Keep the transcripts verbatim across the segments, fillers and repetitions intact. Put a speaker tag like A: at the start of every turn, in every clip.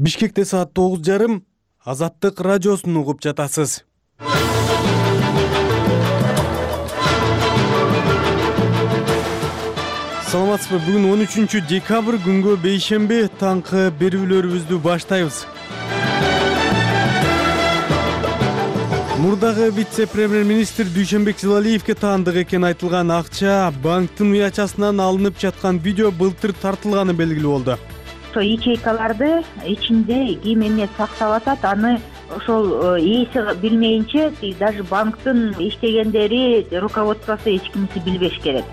A: Бишкекте саат тогуз жарым Азаттык радиосун угуп жатасыз. Саламатсызбы? Бүгүн он үчүнчү декабрь күнгө бейшемби таңкы берүүлөрүбүздү баштайбыз. Мурдагы вице-премьер-министр Дүйшөнбек Жылалиевге таандык экен айтылган акча банктын уячасынан алынып жаткан видео былтыр тартылганы белгилүү болду.
B: Ошо ячейкаларды ичинде ким эмне сактап атат, аны ошол ээси билмейинче даже банктын иштегендери, руководствосу эч кимиси билбеш керек.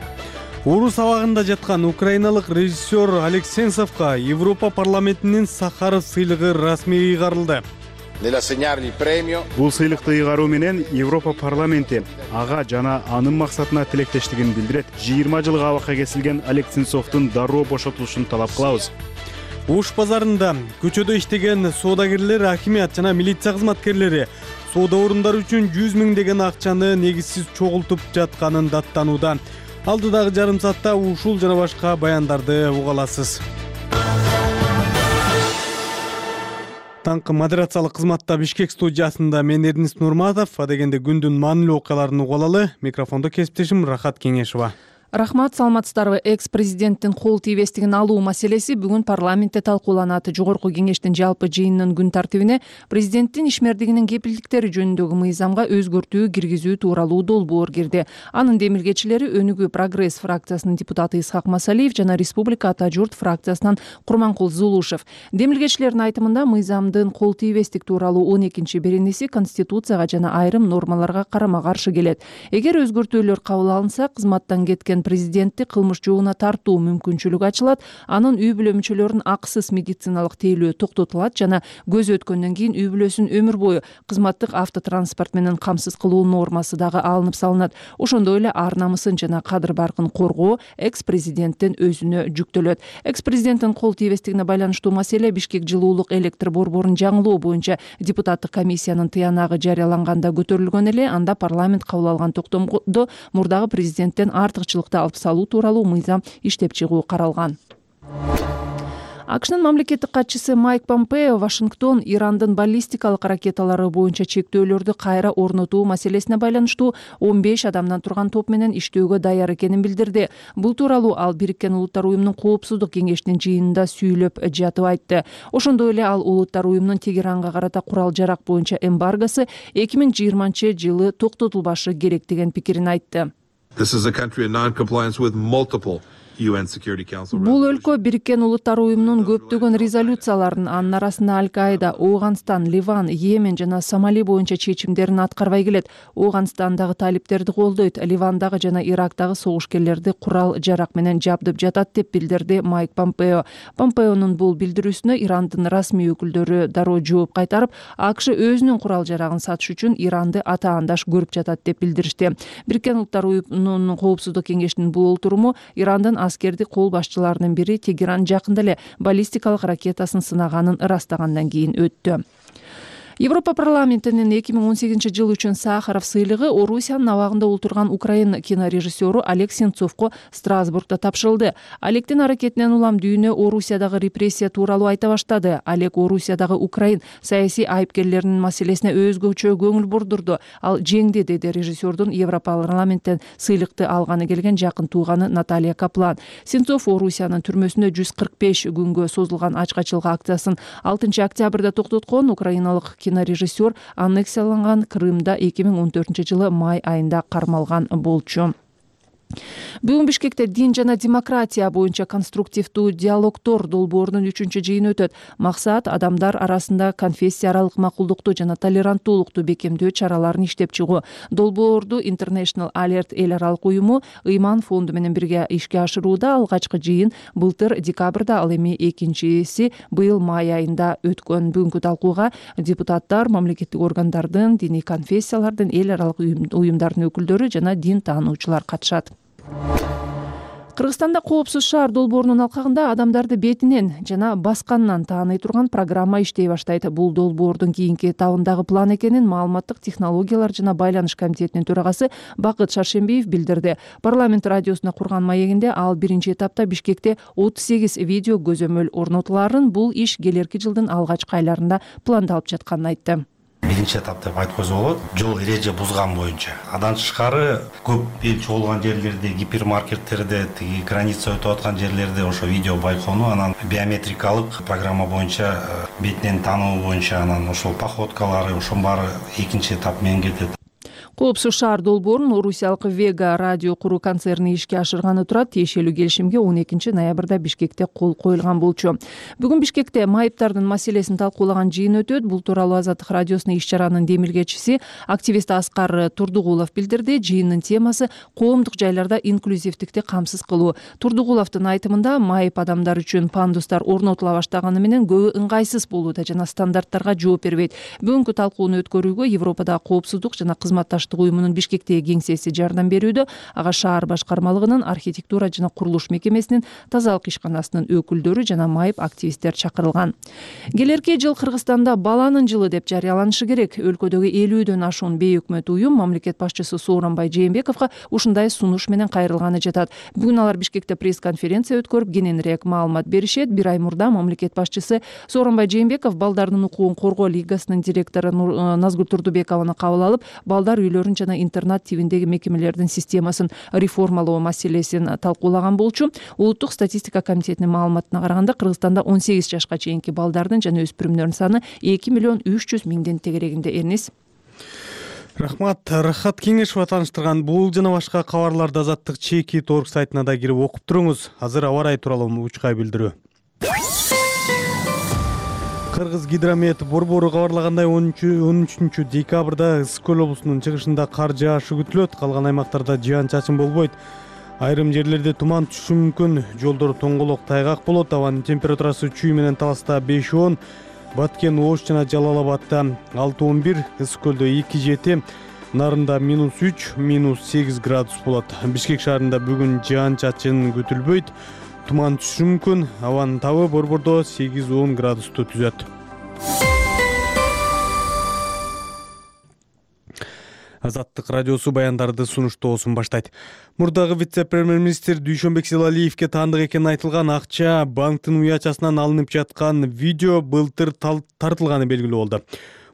A: Орус абагында жаткан украиналык режиссер Олег Сенцовго Европа парламентинин Сахаров сыйлыгы расмий ыйгарылды.
C: Бул сыйлыкты ыйгаруу менен Европа парламенти ага жана анын максатына тилектештигин билдирет. жыйырма жылга абакка кесилген Олег Сенцовдун дароо бошотулушун талап кылабыз.
A: Ош базарында көчөдө иштеген соодагерлер, акимият жана милиция кызматкерлери соода орундары үчүн жүз миңдеген акчаны негизсиз чогултуп жатканын даттанууда. Алдыдагы жарым саатта ушул жана башка баяндарды уга аласыз. Таңкы модерациялык кызматта Бишкек студиясында мен Эрдинис Нурматов, адегенде күндүн маанилүү окуяларын уга алалы. Микрофондо кесиптешим Рахат Кеңешова.
D: Рахмат, саламатсыздарбы? Экс-президенттин кол тийбестигин алуу маселеси бүгүн парламентте талкууланат. Жогорку кеңештин жалпы жыйынынын күн тартибине президенттин ишмердигинин кепилдиктери жөнүндөгү мыйзамга өзгөртүү киргизүү тууралуу долбоор кирди. Анын демилгечилери Өнүгүү прогресс фракциясынын депутаты Исхак Масалиев жана Республика Ата журт фракциясынан Курманкул Зулушев. Демилгечилердин айтымында мыйзамдын кол тийбестик тууралуу он экинчи беренеси Конституцияга жана айрым нормаларга карама-каршы келет. Эгер өзгөртүүлөр кабыл алынса, кызматтан кеткен президентти кылмыш жообуна тартуу мүмкүнчүлүгү ачылат, анын үй бүлө мүчөлөрүнүн акысыз медициналык тейлөө токтотулат жана көз өткөндөн кийин үй бүлөсүн өмүр бою кызматтык автотранспорт менен камсыз кылуу нормасы дагы алынып салынат. Ошондой эле ар намысын жана кадыр баркын коргоо экс-президенттин өзүнө жүктөлөт. Экс-президенттин кол тийбестигине байланыштуу маселе Бишкек жылуулук электр борборун жаңылоо боюнча депутаттык комиссиянын тыянагы жарыяланганда көтөрүлгөн эле. Анда парламент кабыл алган токтомдо мурдагы президенттен артыкчылык алып салуу тууралуу мыйзам иштеп чыгуу каралган. АКШнын мамлекеттик катчысы Майк Помпео Вашингтон Ирандын баллистикалык ракеталары боюнча чектөөлөрдү кайра орнотуу маселесине байланыштуу он беш адамдан турган топ менен иштөөгө даяр экенин билдирди. Бул тууралуу ал Бириккен Улуттар уюмунун Коопсуздук кеңешинин жыйынында сүйлөп жатып айтты. Ошондой эле ал Улуттар уюмунун Тегеранга карата курал-жарак боюнча эмбаргосы эки миң жыйырманчы жылы токтотулбашы керек деген пикирин айтты. Бул өлкө Бириккен Улуттар уюмунун көптөгөн резолюцияларын, анын арасында Аль-Каида, Ооганстан, Ливан, Йемен жана Сомали боюнча чечимдерин аткарбай келет. Ооганстандагы талиптерди колдойт, Ливандагы жана Ирактагы согушкерлерди курал-жарак менен жабдып жатат деп билдирди Майк Помпео. Помпеонун бул билдирүүсүнө Ирандын расмий өкүлдөрү дароо жооп кайтарып, АКШ өзүнүн курал-жарагын сатыш үчүн Иранды атаандаш көрүп жатат деп билдиришти. Бириккен Улуттар уюмунун Коопсуздук кеңешинин бул олтуруму Ирандын аскерди кол башчыларынын бири Тегеран жакында эле баллистикалык ракетасын сынаганын ырастагандан кийин өттү. Европа парламентинин эки миң он сегизинчи жыл үчүн Сахаров сыйлыгы Орусиянын абагында олтурган украин кинорежиссеру Олег Сенцовго Страсбургда тапшырылды. Олегдин аракетинен улам дүйнө Орусиядагы репрессия тууралуу айта баштады. Олег Орусиядагы украин саясий айыпкерлеринин маселесине өзгөчө көңүл бурдурду. Ал жеңди, деди режиссердун Европа парламенттен сыйлыкты алганы келген жакын тууганы Наталья Каплан. Сенцов Орусиянын түрмөсүндө жүз кырк беш күнгө созулган ачкачылык акциясын алтынчы октябрда токтоткон. Украиналык кинорежиссер аннексияланган Крымда эки миң он төртүнчү жылы май айында кармалган болчу. Бүгүн Бишкекте дин жана демократия боюнча конструктивдүү диалогтор долбоорунун үчүнчү жыйыны өтөт. Максат адамдар арасында конфессия аралык макулдукту жана толеранттуулукту бекемдөө чараларын иштеп чыгуу. Долбоорду International Alert эл аралык уюму Ыйман фонду менен бирге ишке ашырууда. Алгачкы жыйын былтыр декабрда, ал эми экинчиси быйыл май айында өткөн. Бүгүнкү талкууга депутаттар, мамлекеттик органдардын, диний конфессиялардын, эл аралык уюмдардын өкүлдөрү жана дин таануучулар катышат. Кыргызстанда коопсуз шаар долбоорунун алкагында адамдарды бетинен жана басканынан тааный турган программа иштей баштайт. Бул долбоордун кийинки этабындагы план экенин Маалыматтык технологиялар жана байланыш комитетинин төрагасы Бакыт Шаршембиев билдирди. Парламент радиосуна курган маегинде ал биринчи этапта Бишкекте отуз сегиз видео көзөмөл орнотуларын, бул иш келерки жылдын алгачкы айларында пландалып жатканын айтты.
E: Биринчи этап деп айткызып болот. Жол эреже бузган боюнча. Андан тышкары көп эл чогулган жерлерде, гипермаркеттерде, тиги граница өтүп аткан жерлерде ошо видео байкоону, анан биометрикалык программа боюнча бетинен таануу боюнча анан ошол походкалары, ошонун баары экинчи этап менен кетет.
D: Коопсуз шаар долбоорун орусиялык Вега радио куруу концерни ишке ашырганы турат. Тиешелүү келишимге он экинчи ноябрда Бишкекте кол коюлган болчу. Бүгүн Бишкекте майыптардын маселесин талкуулаган жыйын өтөт. Бул тууралуу Азаттык радиосунун иш чаранын демилгечиси, активист Аскар Турдугулов билдирди. Жыйындын темасы коомдук жайларда инклюзивдикти камсыз кылуу. Турдугуловдун айтымында майып адамдар үчүн пандустар орнотула баштаганы менен көбү ыңгайсыз болууда жана стандарттарга жооп бербейт. Бүгүнкү талкууну өткөрүүгө Европадагы коопсуздук жана кызматташтык уюмунун Бишкектеги кеңсеси жардам берүүдө. Ага шаар башкармалыгынын архитектура жана курулуш мекемесинин тазалык ишканасынын өкүлдөрү жана майып активисттер чакырылган. Келерки жыл Кыргызстанда баланын жылы деп жарыяланышы керек. Өлкөдөгү элүүдөн ашуун бейөкмөт уюм мамлекет башчысы Сооронбай Жээнбековго ушундай сунуш менен кайрылганы жатат. Бүгүн алар Бишкекте пресс-конференция өткөрүп, кененирээк маалымат беришет. Бир ай мурда мамлекет башчысы Сооронбай Жээнбеков балдардын укугун коргоо лигасынын директору Назгүл Турдубекованы кабыл алып, балдар үйлөрүн жана интернат тибиндеги мекемелердин системасын реформалоо маселесин талкуулаган болчу. Улуттук статистика комитетинин маалыматына караганда Кыргызстанда он сегиз жашка чейинки балдардын жана өспүрүмдөрдүн саны эки миллион үч жүз миңдин тегерегинде. Эрнис.
A: Рахмат. Рахат Кеңешова тааныштырган бул жана башка кабарларды Азаттык чеки торг сайтына да кирип окуп туруңуз. Азыр аба ырайы тууралуу учкай билдирүү. Кыргыз гидромет борбору кабарлагандай он үчүнчү декабрда Ысык көл облусунун чыгышында кар жаашы күтүлөт. Калган аймактарда жаан-чачын болбойт. Айрым жерлерде туман түшүшү мүмкүн. Жолдор тоңголок, тайгак болот. Абанын температурасы чүй менен Таласта беш он, Баткен, Ош жана Жалал-Абадта алты он бир, Ысык көлдө эки жети, Нарында минус үч, минус сегиз градус болот. Бишкек шаарында бүгүн жаан-чачын күтүлбөйт. Туман түшүшү мүмкүн. Абанын табы борбордо сегиз он градусту түзөт. Азаттык радиосу баяндарды сунуштоосун баштайт. Мурдагы вице-премьер-министр Дүйшөнбек Зилалиевге таандык экени айтылган акча банктын уячасынан алынып жаткан видео былтыр тартылганы белгилүү болду.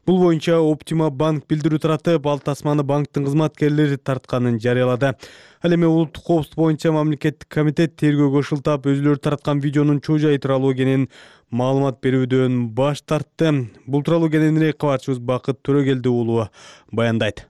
A: Бул боюнча Оптима банк билдирүү таратып, ал тасманы банктын кызматкерлери тартканын жарыялады. Ал эми улуттук коопсуздук боюнча мамлекеттик комитет тергөөгө ушултап өзүлөрү тараткан видеонун чоо жайы тууралуу экенин маалымат берүүдөн баш тартты. Бул тууралуу кененирээк кабарчыбыз Бакыт Төрөгелди уулу баяндайт.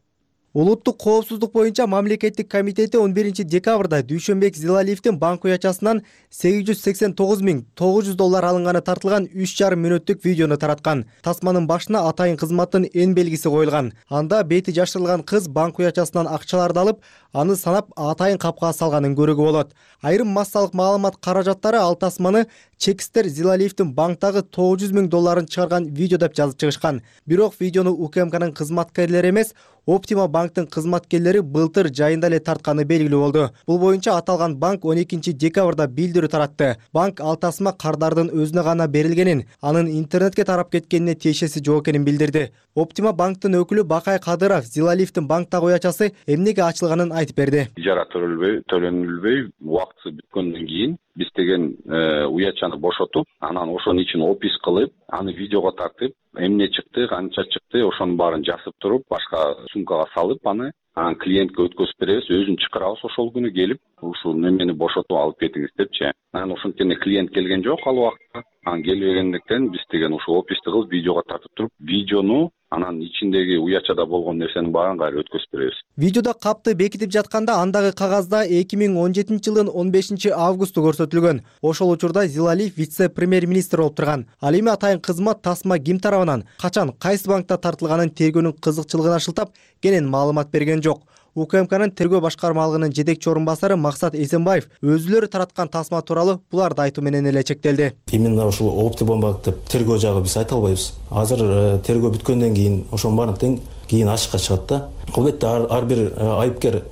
F: Улуттук коопсуздук боюнча мамлекеттик комитети он биринчи декабрда Дүйшөнбек Зилалиевдин банк уячасынан сегиз жүз сексен тогуз миң тогуз жүз доллар алынганы тартылган үч жарым мүнөттүк видеону тараткан. Тасманын башына атайын кызматтын эн белгиси коюлган. Анда бети жашырылган кыз банк уячасынан акчаларды алып, аны санап атайын капка салганын көрүүгө болот. Айрым массалык маалымат каражаттары ал тасманы чекистер Зилалиевдин банктагы тогуз жүз миң долларын чыгарган видео деп жазып чыгышкан. Бирок видеону УКМКнын кызматкерлери эмес, Оптима банктын кызматкерлери былтыр жайында эле тартканы белгилүү болду. Бул боюнча аталган банк он экинчи декабрда билдирүү таратты. Банк ал тасма кардардын өзүнө гана берилгенин, анын интернетке тарап кеткенине тиешеси жок экенин билдирди. Оптима банктын өкүлү Бакай Кадыров Зилалиевдин банктагы уячасы эмнеге ачылганын айтып берди.
G: Ижара төлөнбөй, төлөнүлбөй, убактысы бүткөндөн кийин биз деген уячаны бошотуп, анан ошонун ичин опис кылып, аны видеого тартып, эмне чыкты, канча чыкты, ошонун баарын жазып туруп, башка сумкага салып, аны анан клиентке өткөзүп беребиз, өзүн чакырабыз ошол күнү келип, ушул немени бошотуп алып кетиңиз депчи. Анан ошентип клиент келген жок ал убакта. Анан келбегендиктен биз деген ушул описти кылып, видеого тартып туруп, видеону анан ичиндеги уячада болгон нерсенин баарын кайра өткөзүп беребиз.
F: Видеодо капты бекитип жатканда андагы кагазда эки миң он жетинчи жылдын он бешинчи августу көрсөтүлгөн. Ошол учурда Зилалиев вице-премьер-министр болуп турган. Ал эми атайын кызмат тасма ким тарабынан, качан, кайсы банкта тартылганын тергөөнүн кызыкчылыгына шылтап, кенен маалымат берген жок. УКМКнын тергөө башкармалыгынын жетекчи орун басары Максат Эсенбаев өзүлөрү тараткан тасма тууралуу буларды айтуу менен эле чектелди.
H: Именно ушул Оптима банк деп тергөө жагы биз айта албайбыз. Азыр тергөө бүткөндөн кийин ошонун баарын тең кийин ачыкка чыгат да. Албетте ар бир айыпкер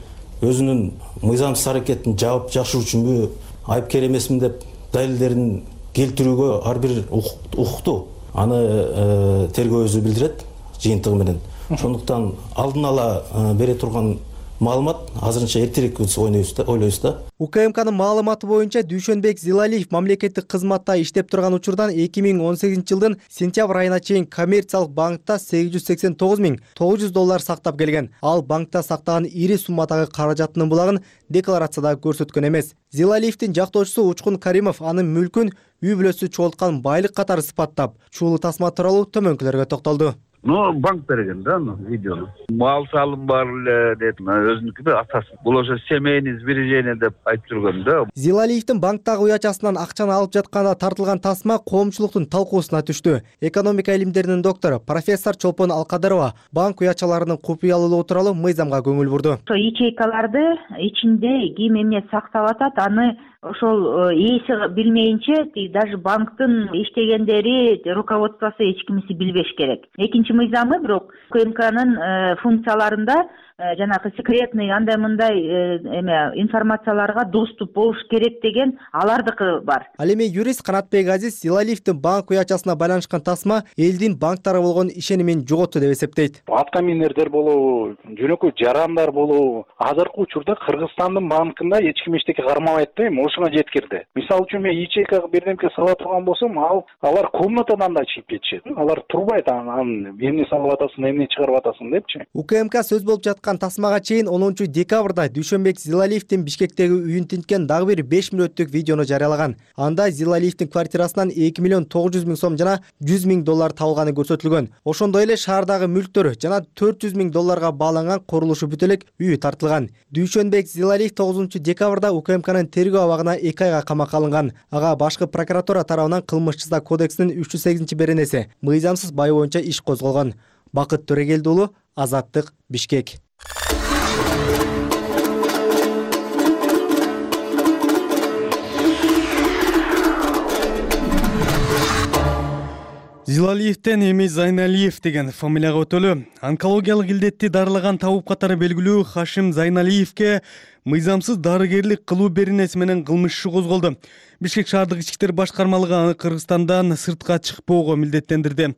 H: өзүнүн мыйзамсыз аракетин жаап жакшыруу үчүнбү, айыпкер эмесмин деп далилдерин келтирүүгө ар бир укуктуу. Аны тергөө өзү билдирет жыйынтыгы менен. Ошондуктан алдын ала бере турган маалымат азырынча эртерээк ойлойбуз да, ойлойбуз да.
F: УКМКнын маалыматы боюнча Дүйшөнбек Зилалиев мамлекеттик кызматта иштеп турган учурдан эки миң он сегизинчи жылдын сентябрь айына чейин коммерциялык банкта сегиз жүз сексен тогуз миң тогуз жүз доллар сактап келген. Ал банкта сактаган ири суммадагы каражатынын булагын декларацияда көрсөткөн эмес. Зилалиевдин жактоочусу Учкун Каримов анын мүлкүн үй бүлөсү чогулткан байлык катары сыпаттап, чуулуу тасма тууралуу төмөнкүлөргө токтолду.
I: Ну, банк берген да, ну, видеону. Мал салым бар эле деп, өзүнүкү да атасы. Бул ошо семейный сбережение деп айтып жүргөн да.
F: Зилалиевдин банктагы уячасынан акчаны алып жатканда тартылган тасма коомчулуктун талкуусуна түштү. Экономика илимдеринин доктору профессор Чолпон Алкадырова банк уячаларынын купуялуулугу тууралуу мыйзамга көңүл бурду.
B: Ошо ячейкаларды ичинде ким эмне сактап атат, аны ошол ээси билмейинче даже банктын иштегендери, руководствосу эч кимиси билбеш керек. Экинчи мыйзамы бирок УКМКнын функцияларында жанагы секретный андай мындай эме информацияларга доступ болуш керек деген алардыкы бар.
F: Ал эми юрист Канатбек Азиз Зилалиевдин банк уячасына байланышкан тасма элдин банктарга болгон ишенимин жоготту деп эсептейт.
J: Аткаминердер болобу, жөнөкөй жарандар болобу, азыркы учурда Кыргызстандын банкында эч ким эчтеке кармабайт да, эми ошоно жеткирди. Мисалы үчүн мен ячейкага бирдемке сала турган болсом, ал алар комнатадан да чыгып кетишет. Алар турбайт, анан эмне салып атасың, эмне чыгарып атасың депчи.
F: УКМК сөз болуп жаткан тасмага чейин онунчу декабрда Дүйшөнбек Зилалиевдин Бишкектеги үйүн тинткен дагы бир беш мүнөттүк видеону жарыялаган. Анда Зилалиевдин квартирасынан эки миллион тогуз жүз миң сом жана жүз миң доллар табылганы көрсөтүлгөн. Ошондой эле шаардагы мүлктөр жана төрт жүз миң долларга бааланган курулушу бүт элек үйү тартылган. Дүйшөнбек Зилалиев тогузунчу декабрда УКМКнын тергөө абагына эки айга камакка алынган. Ага башкы прокуратура тарабынан кылмыш жаза кодексинин үч жүз сегизинчи беренеси мыйзамсыз бай боюнча иш козголгон. Бакыт Төрегелди уулу, Азаттык, Бишкек.
A: Зилалиевден эми Зайналиев деген фамилияга өтөлү. Онкологиялык илдетти дарылаган табып катары белгилүү Хашим Зайналиевке мыйзамсыз дарыгерлик кылуу беренеси менен кылмыш иши козголду. Бишкек шаардык ички иштер башкармалыгы аны Кыргызстандан сыртка чыкпоого милдеттендирди.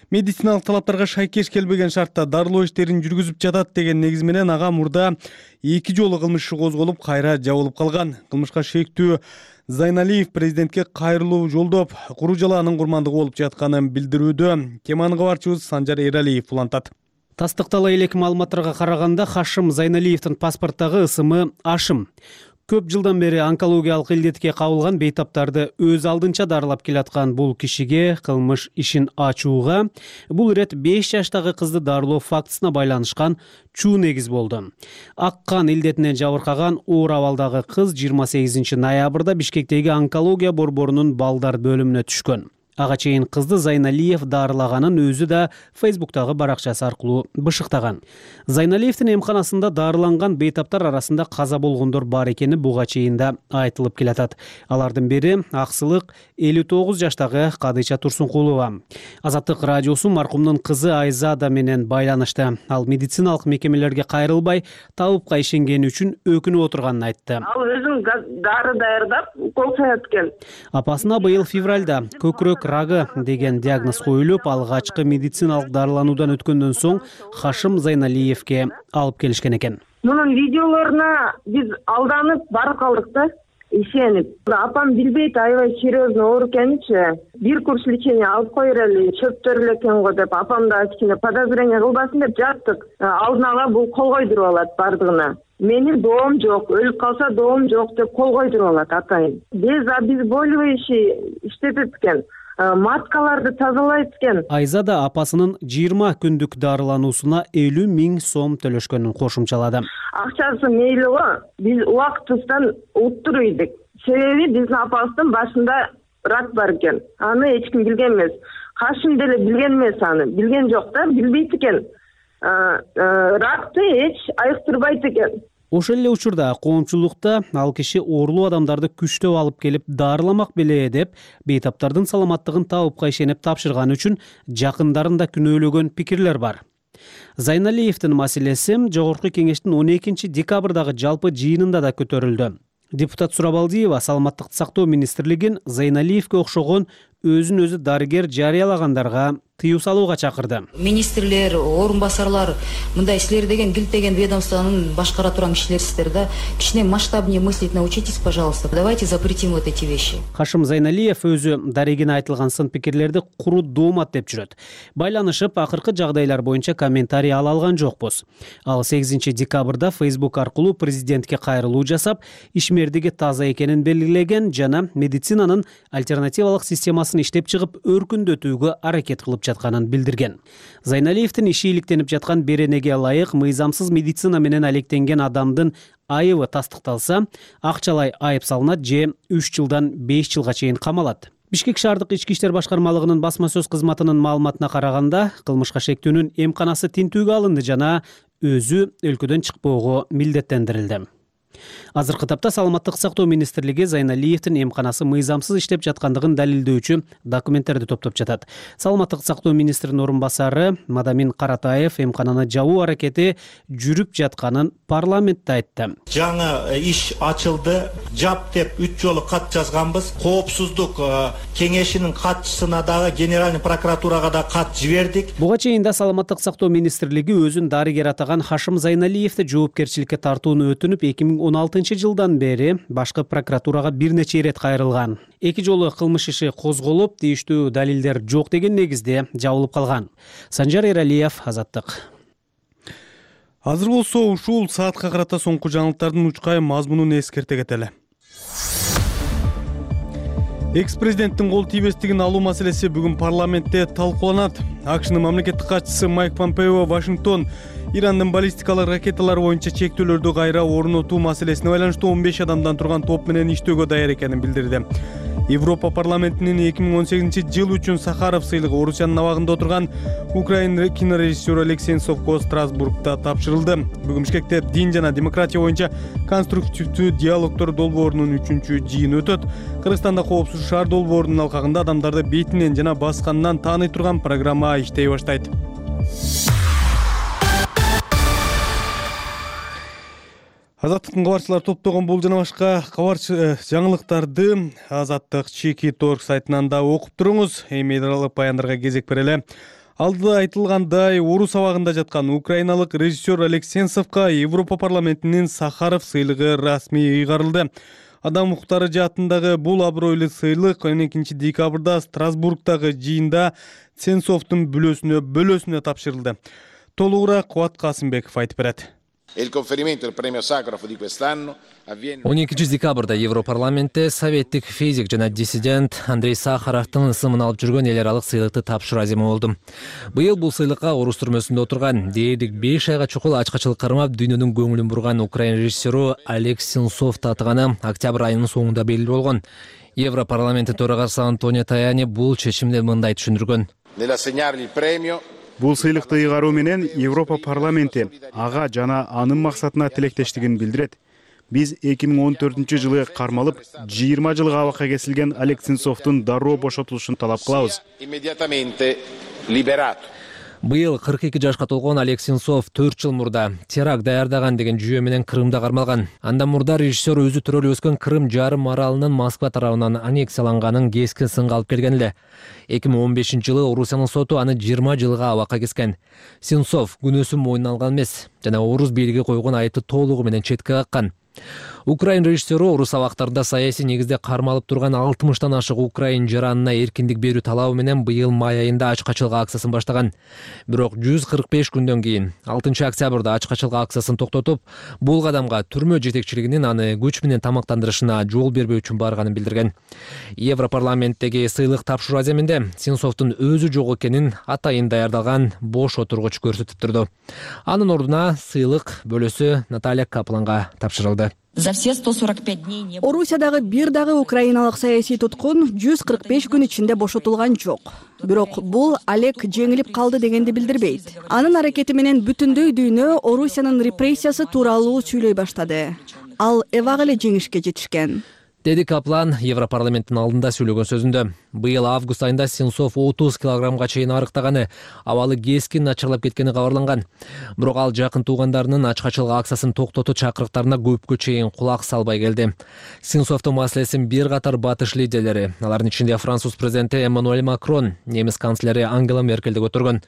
A: Медициналык талаптарга шайкеш келбеген шартта дарылоо иштерин жүргүзүп жатат деген негиз менен ага мурда эки жолу кылмыш иши козголуп, кайра жабылып калган. Кылмышка шектүү Зайналиев президентке кайрылуу жолдоп, куру жалаанын курмандыгы болуп жатканын билдирүүдө. Теманы кабарчыбыз Санжар Эралиев улантат.
K: Тастыктала элек маалыматтарга караганда Хашим Зайналиевдин паспорттагы ысымы Ашым. Көп жылдан бери онкологиялык илдетке кабылган бейтаптарды өз алдынча дарылап келаткан бул кишиге кылмыш ишин ачууга бул ирет беш жаштагы кызды дарылоо фактысына байланышкан чуу негиз болду. Ак кан илдетинен жабыркаган оор абалдагы кыз жыйырма сегизинчи ноябрда Бишкектеги онкология борборунун балдар бөлүмүнө түшкөн. Ага чейин кызды Зайналиев дарылаганын өзү да Фейсбуктагы баракчасы аркылуу бышыктаган. Зайналиевдин эмканасында дарыланган бейтаптар арасында каза болгондор бар экени буга чейин да айтылып келатат. Алардын бири аксылык элүү тогуз жаштагы Кадыйча Турсункулова. Азаттык радиосу маркумдун кызы Айзада менен байланышты. Ал медициналык мекемелерге кайрылбай, табыпка ишенгени үчүн өкүнүп отурганын айтты.
L: Ал өзүм дары даярдап, укол саят экен.
K: Апасына быйыл февралда көкүрөк рагы деген диагноз коюлуп, алгачкы медициналык дарылануудан өткөндөн соң Хашим Зайналиевке алып келишкен экен.
L: Мунун видеолоруна биз алданып барып калдык да, ишенип. Апам билбейт, аябай серьезно оор экеничи. Бир курс лечение алып коерели, чөптөр эле экен го деп, апам да кичине подозрение кылбасын деп жаттык. Алдын ала бул кол койдуруп алат бардыгына. Менин доом жок, өлүп калса доом жок деп кол койдуруп алат атайын. Без обезболивающий иштетет экен. Маткаларды тазалайт экен.
K: Айзада апасынын жыйырма күндүк дарылануусуна элүү миң сом төлөшкөнүн кошумчалады.
L: Акчасы мейли го, биз убактысынан уттуруп ийдик. Себеби биздин апабыздын башында рак бар экен. Аны эч ким билген эмес. Хашим деле билген эмес аны. Билген жок да, билбейт экен. Ракты эч айыктырбайт экен.
K: Ошол эле учурда коомчулукта ал киши оорулуу адамдарды күчтөп алып келип дарыламак беле деп, бейтаптардын саламаттыгын табыпка ишенип тапшырганы үчүн жакындарын да күнөөлөгөн пикирлер бар. Зайналиевдин маселеси Жогорку кеңештин он экинчи декабрдагы жалпы жыйынында да көтөрүлдү. Депутат Сурабалдиева Саламаттыкты сактоо министрлигин Зайналиевге окшогон өзүн өзү дарыгер жарыялагандарга тыюу салууга чакырды.
M: Министрлер, орун басарлар, мындай силер деген килтеген ведомствонун башкара турган кишилерсиздер да. Кичине масштабнее мыслить научитесь, пожалуйста. Давайте запретим вот эти вещи.
K: Хашим Зайналиев өзү дарегине айтылган сын пикирлерди куру доомат деп жүрөт. Байланышып, акыркы жагдайлар боюнча комментарий ала алган жокпуз. Ал сегизинчи декабрда Facebook аркылуу президентке кайрылуу жасап, ишмердиги таза экенин белгилеген жана медицинанын альтернативалык системасын иштеп чыгып, өркүндөтүүгө аракет кылып жатканын билдирген. Зайналиевдин иши иликтенип жаткан беренеге ылайык мыйзамсыз медицина менен алектенген адамдын айыбы тастыкталса, акчалай айып салынат же үч жылдан беш жылга чейин камалат. Бишкек шаардык ички иштер башкармалыгынын басма сөз кызматынын маалыматына караганда, кылмышка шектүүнүн эмканасы тинтүүгө алынды жана өзү өлкөдөн чыкпоого милдеттендирилди. Азыркы тапта Саламаттык сактоо министрлиги Зайналиевдин эмканасы мыйзамсыз иштеп жаткандыгын далилдөөчү документтерди топтоп жатат. Саламаттык сактоо министринин орун басары Мадамин Каратаев эмкананы жабуу аракети жүрүп жатканын парламентте айтты.
N: Жаңы иш ачылды, жап деп үч жолу кат жазганбыз. Коопсуздук кеңешинин катчысына дагы генеральный прокуратурага да кат жибердик.
K: Буга чейин да Саламаттык сактоо министрлиги өзүн дарыгер атаган Хашим Зайналиевди жоопкерчиликке тартууну өтүнүп эки миң он алтынчы жылдан бери башкы прокуратурага бир нече ирет кайрылган. Эки жолу кылмыш иши козголуп, тийиштүү далилдер жок деген негизде жабылып калган. Санжар Эралиев, Азаттык.
A: Азыр болсо ушул саатка карата соңку жаңылыктардын учкай мазмунун эскерте кетели. Экс-президенттин кол тийбестигин алуу маселеси бүгүн парламентте талкууланат. АКШнын мамлекеттик катчысы Майк Помпео Вашингтон Ирандын баллистикалык ракеталары боюнча чектөөлөрдү кайра орнотуу маселесине байланыштуу он беш адамдан турган топ менен иштөөгө даяр экенин билдирди. Европа парламентинин эки миң он сегизинчи жыл үчүн Сахаров сыйлыгы Орусиянын абагында отурган украин кинорежиссеру Алексей Сенцовго Страсбургда тапшырылды. Бүгүн Бишкекте дин жана демократия боюнча конструктивдүү диалогдор долбоорунун үчүнчү жыйыны өтөт. Кыргызстанда коопсуз шаар долбоорунун алкагында адамдарды бетинен жана басканынан тааный турган программа иштей баштайт. Азаттыктын кабарчылары топтогон бул жана башка кабарчы жаңылыктарды Азаттык Чеки Торг сайтынан да окуп туруңуз. Эми эдералык баяндарга кезек берели. Алдыда айтылгандай, Орус абагында жаткан украиналык режиссер Алексей Сенцовго Европа парламентинин Сахаров сыйлыгы расмий ыйгарылды. Адам укуктары жаатындагы бул абройлуу сыйлык он экинчи декабрда Страсбургдагы жыйында Сенцовдун бүлөсүнө бөлөсүнө тапшырылды. Толугураак Кубат Касымбеков айтып берет.
O: он экинчи декабрда Европарламентте советтик физик жана диссидент Андрей Сахаровдун ысымын алып жүргөн эл аралык сыйлыкты тапшыруу аземи болду. Быйыл бул сыйлыкка Орус түрмөсүндө отурган дээрлик беш айга чукул ачкачылык кармап дүйнөнүн көңүлүн бурган украин режиссеру Алексей Сенцов татыганы октябрь айынын соңунда белгилүү болгон. Европарламенттин төрагасы Антонио Таяни бул чечимди мындай түшүндүргөн.
C: Бул сыйлыкты ыйгаруу менен Европа парламенти ага жана анын максатына тилектештигин билдирет. Биз эки миң он төртүнчү жылы кармалып, жыйырма жылга абакка кесилген Алексей Сенцовдун дароо бошотулушун талап кылабыз.
O: Быйыл кырк эки жашка толгон Алексей Сенцов төрт жыл мурда теракт даярдаган деген жүйө менен Крымда кармалган. Андан мурда режиссер өзү төрөлүп өскөн Крым жарым аралынын Москва тарабынан аннексияланганын кескен сынга алып келген эле. эки миң он бешинчи жылы Орусиянын соту аны жыйырма жылга абакка кескен. Сенцов күнөөсүн мойнуна алган эмес жана Орус бийлиги койгон айыпты толугу менен четке каккан. Украин режиссеру Орус абактарында саясий негизде кармалып турган алтымыштан ашык украин жаранына эркиндик берүү талабы менен быйыл май айында ачкачылык акциясын баштаган. Бирок жүз кырк беш күндөн кийин алтынчы октябрда ачкачылык акциясын токтотуп, бул кадамга түрмө жетекчилигинин аны күч менен тамактандырышына жол бербөө үчүн барганын билдирген. Европарламенттеги сыйлык тапшыруу аземинде Сенцовдун өзү жок экенин атайын даярдалган бош отургуч көрсөтүп турду. Анын ордуна сыйлык бөлөсү Наталья Капланга тапшырылды.
P: За все сто сорок пять дней Орусиядагы бир дагы украиналык саясий туткун жүз кырк беш күн ичинде бошотулган жок. Бирок бул Олег жеңилип калды дегенди билдирбейт. Анын аракети менен бүтүндөй дүйнө Орусиянын репрессиясы тууралуу сүйлөй баштады. Ал эбак эле жеңишке жетишкен.
O: деди Каплан Европарламенттин алдында сөйлөгөн сөзүндө. Быйыл август айында Сенцов отуз килограммга чейин арыктаганы, абалы кескин начарлап кеткени кабарланган. Бирок ал жакын туугандарынын ачкачылык акциясын токтотуу чакырыктарына көпкө чейин кулак салбай келди. Сенцовдун маселесин бир катар батыш лидерлери, алардын ичинде француз президенти Эммануэль Макрон, немис канцлери Ангела Меркель да көтөргөн.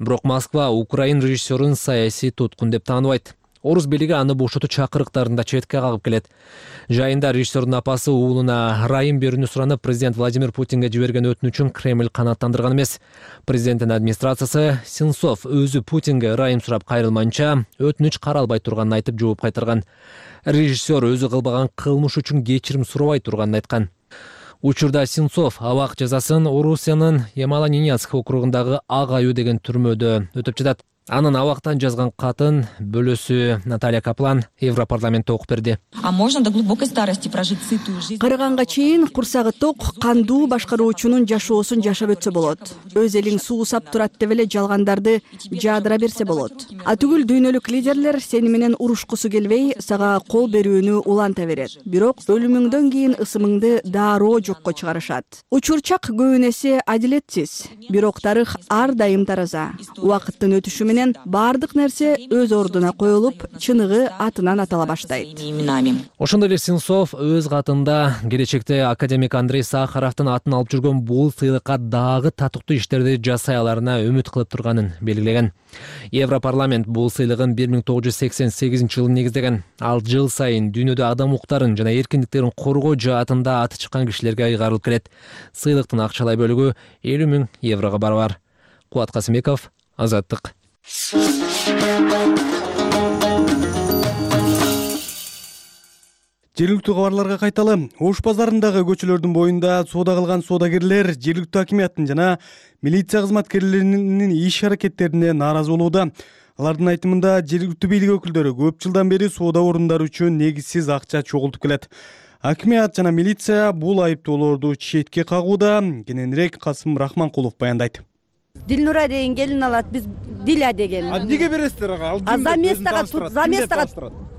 O: Бирок Москва Украин режиссерун саясий туткун деп тааныбайт. Орус бийлиги аны бошотуу чакырыктарын да четке кагып келет. Жайында режиссердун апасы уулуна райым берүүнү суранып, президент Владимир Путинге жиберген өтүнүчүн Кремль канааттандырган эмес. Президенттин администрациясы Сенцов өзү Путинге райым сурап кайрылмайынча өтүнүч каралбай турганын айтып жооп кайтарган. Режиссер өзү кылбаган кылмыш үчүн кечирим сурабай турганын айткан. Учурда Сенцов абак жазасын Орусиянын Ямало-Ненецк округундагы Ак аю деген түрмөдө өтөп жатат. Анын абактан жазган катын бөлөсү Наталья Каплан Европарламентте окуп берди.
Q: А можно до глубокой старости прожить сытую жизнь?
P: Карыганга чейин курсагы ток, кандуу башкаруучунун жашоосун жашап өтсө болот. Өз элиң суусап турат деп эле жалгандарды жаадыра берсе болот. А түгүл дүйнөлүк лидерлер сени менен урушкусу келбей, сага кол берүүнү уланта берет. Бирок өлүмүңдөн кийин ысымыңды дароо жокко чыгарышат. Учурчак көбүнесе адилетсиз, бирок тарых ар дайым тараза. Убакыттын өтүшү менен бардык нерсе өз ордуна коюлуп, чыныгы атынан атала баштайт.
O: Ошондой эле Сенцов өз катында келечекте академик Андрей Сахаровдун атын алып жүргөн бул сыйлыкка дагы татыктуу иштерди жасай аларына үмүт кылып турганын белгилеген. Европарламент бул сыйлыгын бир миң тогуз жүз сексен сегизинчи жылы негиздеген. Ал жыл сайын дүйнөдө адам укуктарын жана эркиндиктерин коргоо жаатында аты чыккан кишилерге ыйгарылып келет. Сыйлыктын акчалай бөлүгү элүү миң еврого барабар. Кубат Касымбеков, Азаттык.
A: Жергиликтүү кабарларга кайталы. Ош базарындагы көчөлөрдүн боюнда соода кылган соодагерлер жергиликтүү акимияттын жана милиция кызматкерлеринин иш аракеттерине нааразы болууда. Алардын айтымында жергиликтүү бийлик өкүлдөрү көп жылдан бери соода орундары үчүн негизсиз акча чогултуп келет. Акимият жана милиция бул айыптоолорду четке кагууда. Кененирээк Касым Рахманкулов баяндайт.
R: Дилнура деген келин алат, биз Диля деген.
S: А эмнеге бересиздер ага?
R: А за местага, за местага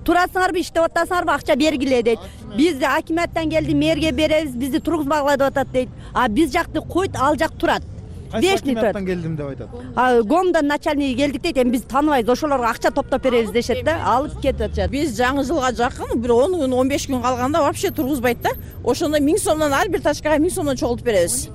R: турасыңарбы, иштеп атасыңарбы, акча бергиле дейт. Биз акимияттан келди, мэрге беребиз, бизди тургузбагыла деп атат дейт. А биз жакты койт, ал жак турат.
S: Кайсы акимияттан келдим деп айтат.
R: А гомдон начальниги келдик дейт, эми биз тааныбайбыз, ошолорго акча топтоп беребиз дешет да, алып кетип атышат.
T: Биз жаңы жылга жакын бир он күн, он беш күн калганда вообще тургузбайт да. Ошондо миң сомдон ар бир тачкага миң сомдон чогултуп беребиз.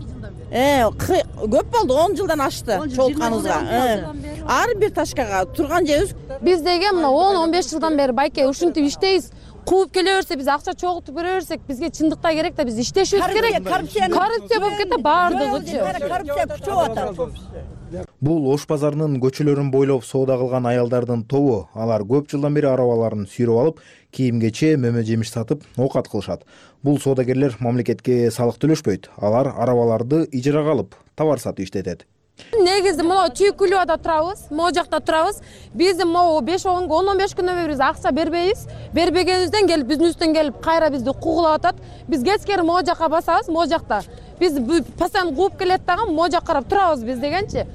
T: Э, көп болду, он жылдан ашты чогултканыбызга. Ар бир тачкага турган жерибиз.
U: Биз деген мына он он беш жылдан бери байке ушинтип иштейбиз. Кууп келе берсе, биз акча чогултуп бере берсек, бизге чындыкта керек да, биз иштешибиз керек. Коррупция болуп кетти баардыгычы.
R: Коррупция күчөп атат.
S: Бул Ош базарынын көчөлөрүн бойлоп соода кылган аялдардын тобу. Алар көп жылдан бери арабаларын сүйрөп алып, кийим-кече, мөмө-жемиш сатып, оокат кылышат. Бул соодагерлер мамлекетке салык төлөшпөйт. Алар арабаларды ижарага алып, товар сатып иштетет.
U: Негизи могу Түйкүлүбада турабыз, могу жакта турабыз. Биздин могу беш он он беш күнөн бери биз акча бербейбиз. Бербегенибизден келип биздин үстүнөн келип кайра бизди куугулап атат. Биз кечкери могу жакка басабыз, могу жакта. Биз постоянно кууп келет дагы, могу жакка карап турабыз биз дегенчи.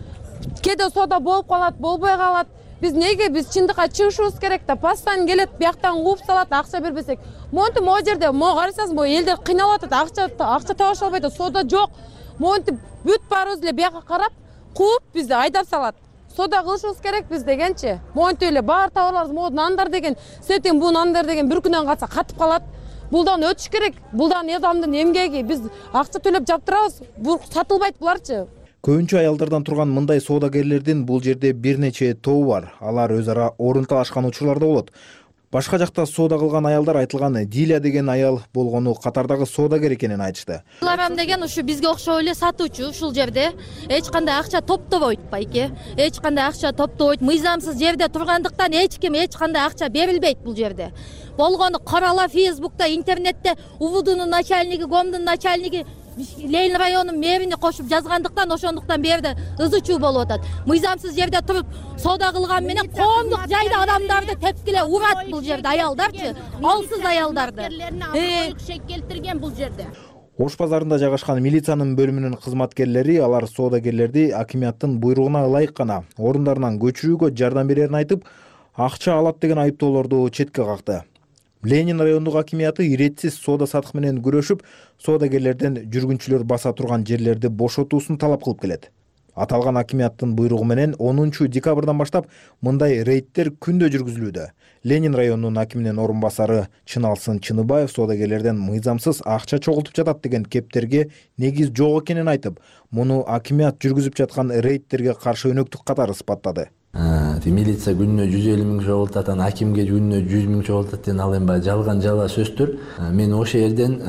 U: Кээде соода болуп калат, болбой калат. Биз неге биз чындыкка чыгышыбыз керек да, постоянно келет, бияктан кууп салат, акча бербесек. Монтип могу жерде могу карасаңыз, могу элдер кыйналып атат, акча акча табыша албайт, соода жок. Монтип бүт баарыбыз эле бияка карап, кууп бизди айдап салат. Соода кылышыбыз керек биз дегенчи. Монтип эле баар товарларыбыз, могу нандар деген, сетин бу нандар деген бир күнөн калса катып калат. Булдан өтүш керек. Булдан адамдын эмгеги, биз акча төлөп жаптырабыз. Бул сатылбайт буларчы.
S: Көбүнчө аялдардан турган мындай соодагерлердин бул жерде бир нече тобу бар. Алар өз ара орун талашкан учурлар да болот. Башка жакта соода кылган аялдар айтылган Диля деген аял болгону катардагы соодагер экенин айтышты.
V: Ларам деген ушу бизге окшой эле сатуучу ушул жерде эч кандай акча топтобойт байке. Эч кандай акча топтобойт. Мыйзамсыз жерде тургандыктан эч ким эч кандай акча берилбейт бул жерде. Болгону карала Фейсбукта, интернетте УВДнун начальниги, ГОМдун начальниги Ленин районунун мэрине кошуп жазгандыктан ошондуктан берде ызы чуу болуп атат. Мыйзамсыз жерде туруп соода кылган менен коомдук жайда адамдарды тепкиле урат бул жерде аялдарчы, алсыз аялдарды.
W: Шек келтирген бул жерде.
S: Ош базарында жайгашкан милициянын бөлүмүнүн кызматкерлери алар соодагерлерди акимияттын буйругуна ылайык гана орундарынан көчүрүүгө жардам берерин айтып, акча алат деген айыптоолорду четке какты. Ленин райондук акимияты иретсиз соода сатык менен күрөшүп, соодагерлерден жүргүнчүлөр баса турган жерлерди бошотуусун талап кылып келет. Аталган акимияттын буйругу менен онунчу декабрдан баштап мындай рейдтер күндө жүргүзүлүүдө. Ленин районунун акиминин орун басары Чыналсын Чыныбаев соодагерлерден мыйзамсыз акча чогултуп жатат деген кептерге негиз жок экенин айтып, муну акимият жүргүзүп жаткан рейдтерге каршы өнөктүк катары ыспаттады.
D: Милиция күнүнө жүз элүү миң чогултат, анан акимге күнүнө жүз миң чогултат деген ал эми баягы жалган жала сөздөр. Мен ошол жерден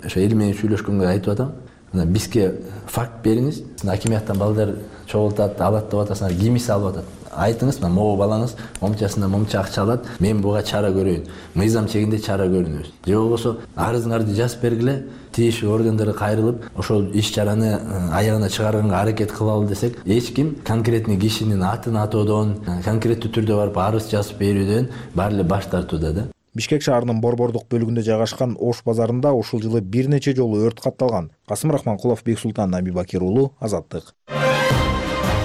D: ошо эл менен сүйлөшкөнгө айтып атам. Бизге факт бериңиз. Акимияттан балдар чогултат, алат деп атасыңар, кимиси алып атат? Айтыңыз, мына могу балаңыз момчасына момча акча алат, мен буга чара көрөйүн. Мыйзам чегинде чара көрүнөбүз. Же болбосо арызыңарды жазып бергиле, тиешелүү органдарга кайрылып, ошол иш-чараны аягына чыгарганга аракет кылалы десек, эч ким конкретный кишинин атын атоодон, конкреттүү түрдө барып арыз жазып берүүдөн баары эле баш тартууда да.
S: Бишкек шаарынын Борбордук бөлүгүндө жайгашкан Ош базарында ушул жылы бир нече жолу өрт катталган. Касым Рахманкулов, Бексултан Набибакир уулу, Азаттык.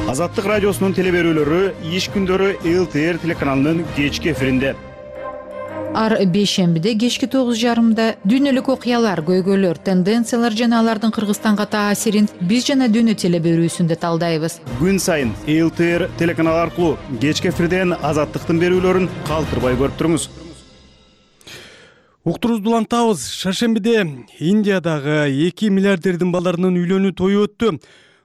C: Азаттык радиосунун телеберүүлөрү иш күндөрү эл тэ эр телеканалынын кечки эфиринде.
E: Ар бейшембиде кечки тогуз жарымда дүйнөлүк окуялар, көйгөйлөр, тенденциялар жана алардын Кыргызстанга таасирин биз жана дүйнө телеберүүсүндө талдайбыз.
C: Күн сайын эл тэ эр телеканалы аркылуу кечки эфирден Азаттыктын берүүлөрүн калтырбай көрүп туруңуз.
A: Уктурубузду улантабыз. Шаршембиде Индиядагы эки миллиардердин балдарынын үйлөнүү тою өттү.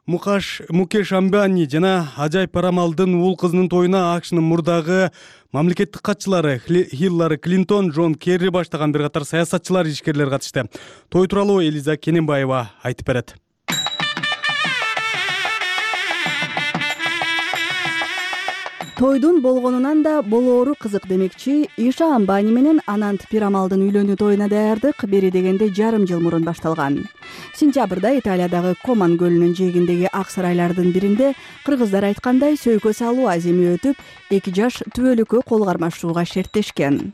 A: Мукаш Мукеш Амбани жана Ажай Парамалдын уул кызынын тоюна АКШнын мурдагы мамлекеттик катчылары Хиллари Клинтон, Джон Керри баштаган бир катар саясатчылар, ишкерлер катышты. Той тууралуу Элиза Кененбаева айтып берет.
P: Тойдун болгонунан да болоору кызык демекчи, Иша Амбани менен Анант Пирамалдын үйлөнүү тоюна даярдык бери дегенде жарым жыл мурун башталган. Сентябрда Италиядагы Коман көлүнүн жээгиндеги ак сарайлардын биринде кыргыздар айткандай сөйкө салуу аземи өтүп, эки жаш түбөлүккө кол кармашууга шерттешкен.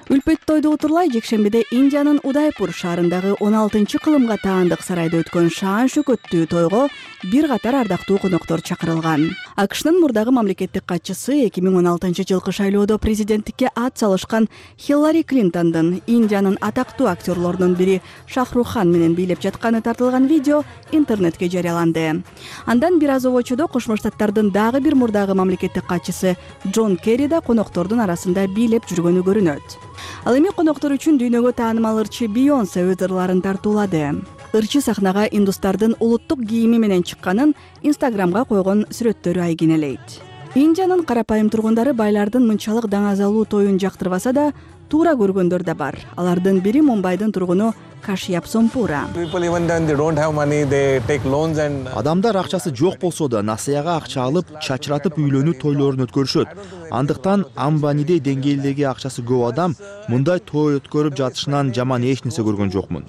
P: Үлпөт тойду утурлай жекшембиде Индиянын Удайпур шаарындагы он алтынчы кылымга таандык сарайда өткөн шаан шөкөттүү тойго бир катар ардактуу коноктор чакырылган. АКШнын мурдагы мамлекеттик катчысы эки миң он алтынчы жылкы шайлоодо президенттикке ат салышкан Хиллари Клинтондун Индиянын атактуу актерлорунун бири Шахрухан менен бийлеп жатканы тартылган видео интернетке жарыяланды. Андан бир аз обочодо Кошмо Штаттардын дагы бир мурдагы мамлекеттик катчысы Джон Керри да коноктордун арасында бийлеп жүргөнү көрүнөт. Ал эми коноктор үчүн дүйнөгө таанымал ырчы Бейонсе өз ырларын тартуулады. Ырчы сахнага индустардын улуттук кийими менен чыкканын Инстаграмга койгон сүрөттөрү айгинелейт. Индиянын карапайым тургундары байлардын мынчалык даңазалуу тоюн жактырбаса да, туура көргөндөр да бар. Алардын бири Мумбайдын тургуну Кашьяп Сомпура.
G: Адамдар акчасы жок болсо да насыяга акча алып, чачыратып үйлөнүү тойлорун өткөрүшөт. Андыктан Амбанидей деңгээлдеги акчасы көп адам мындай той өткөрүп жатышынан жаман эч нерсе көргөн жокмун.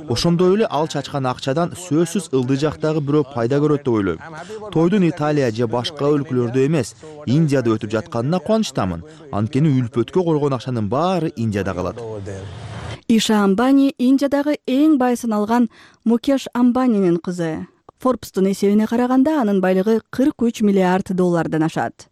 G: Ошондой эле ал чачкан акчадан сөзсүз ылдый жактагы бирөө пайда көрөт деп ойлойм. Тойдун Италия же башка өлкөлөрдө эмес, Индияда өтүп жатканына кубанычтамын. Анткени үлпөткө койгон акчанын баары Индияда калат.
P: Иша Амбани Индиядагы эң бай саналган Мукеш Амбанинин кызы. Forbes'тун эсебине караганда анын байлыгы кырк үч миллиард доллардан ашат.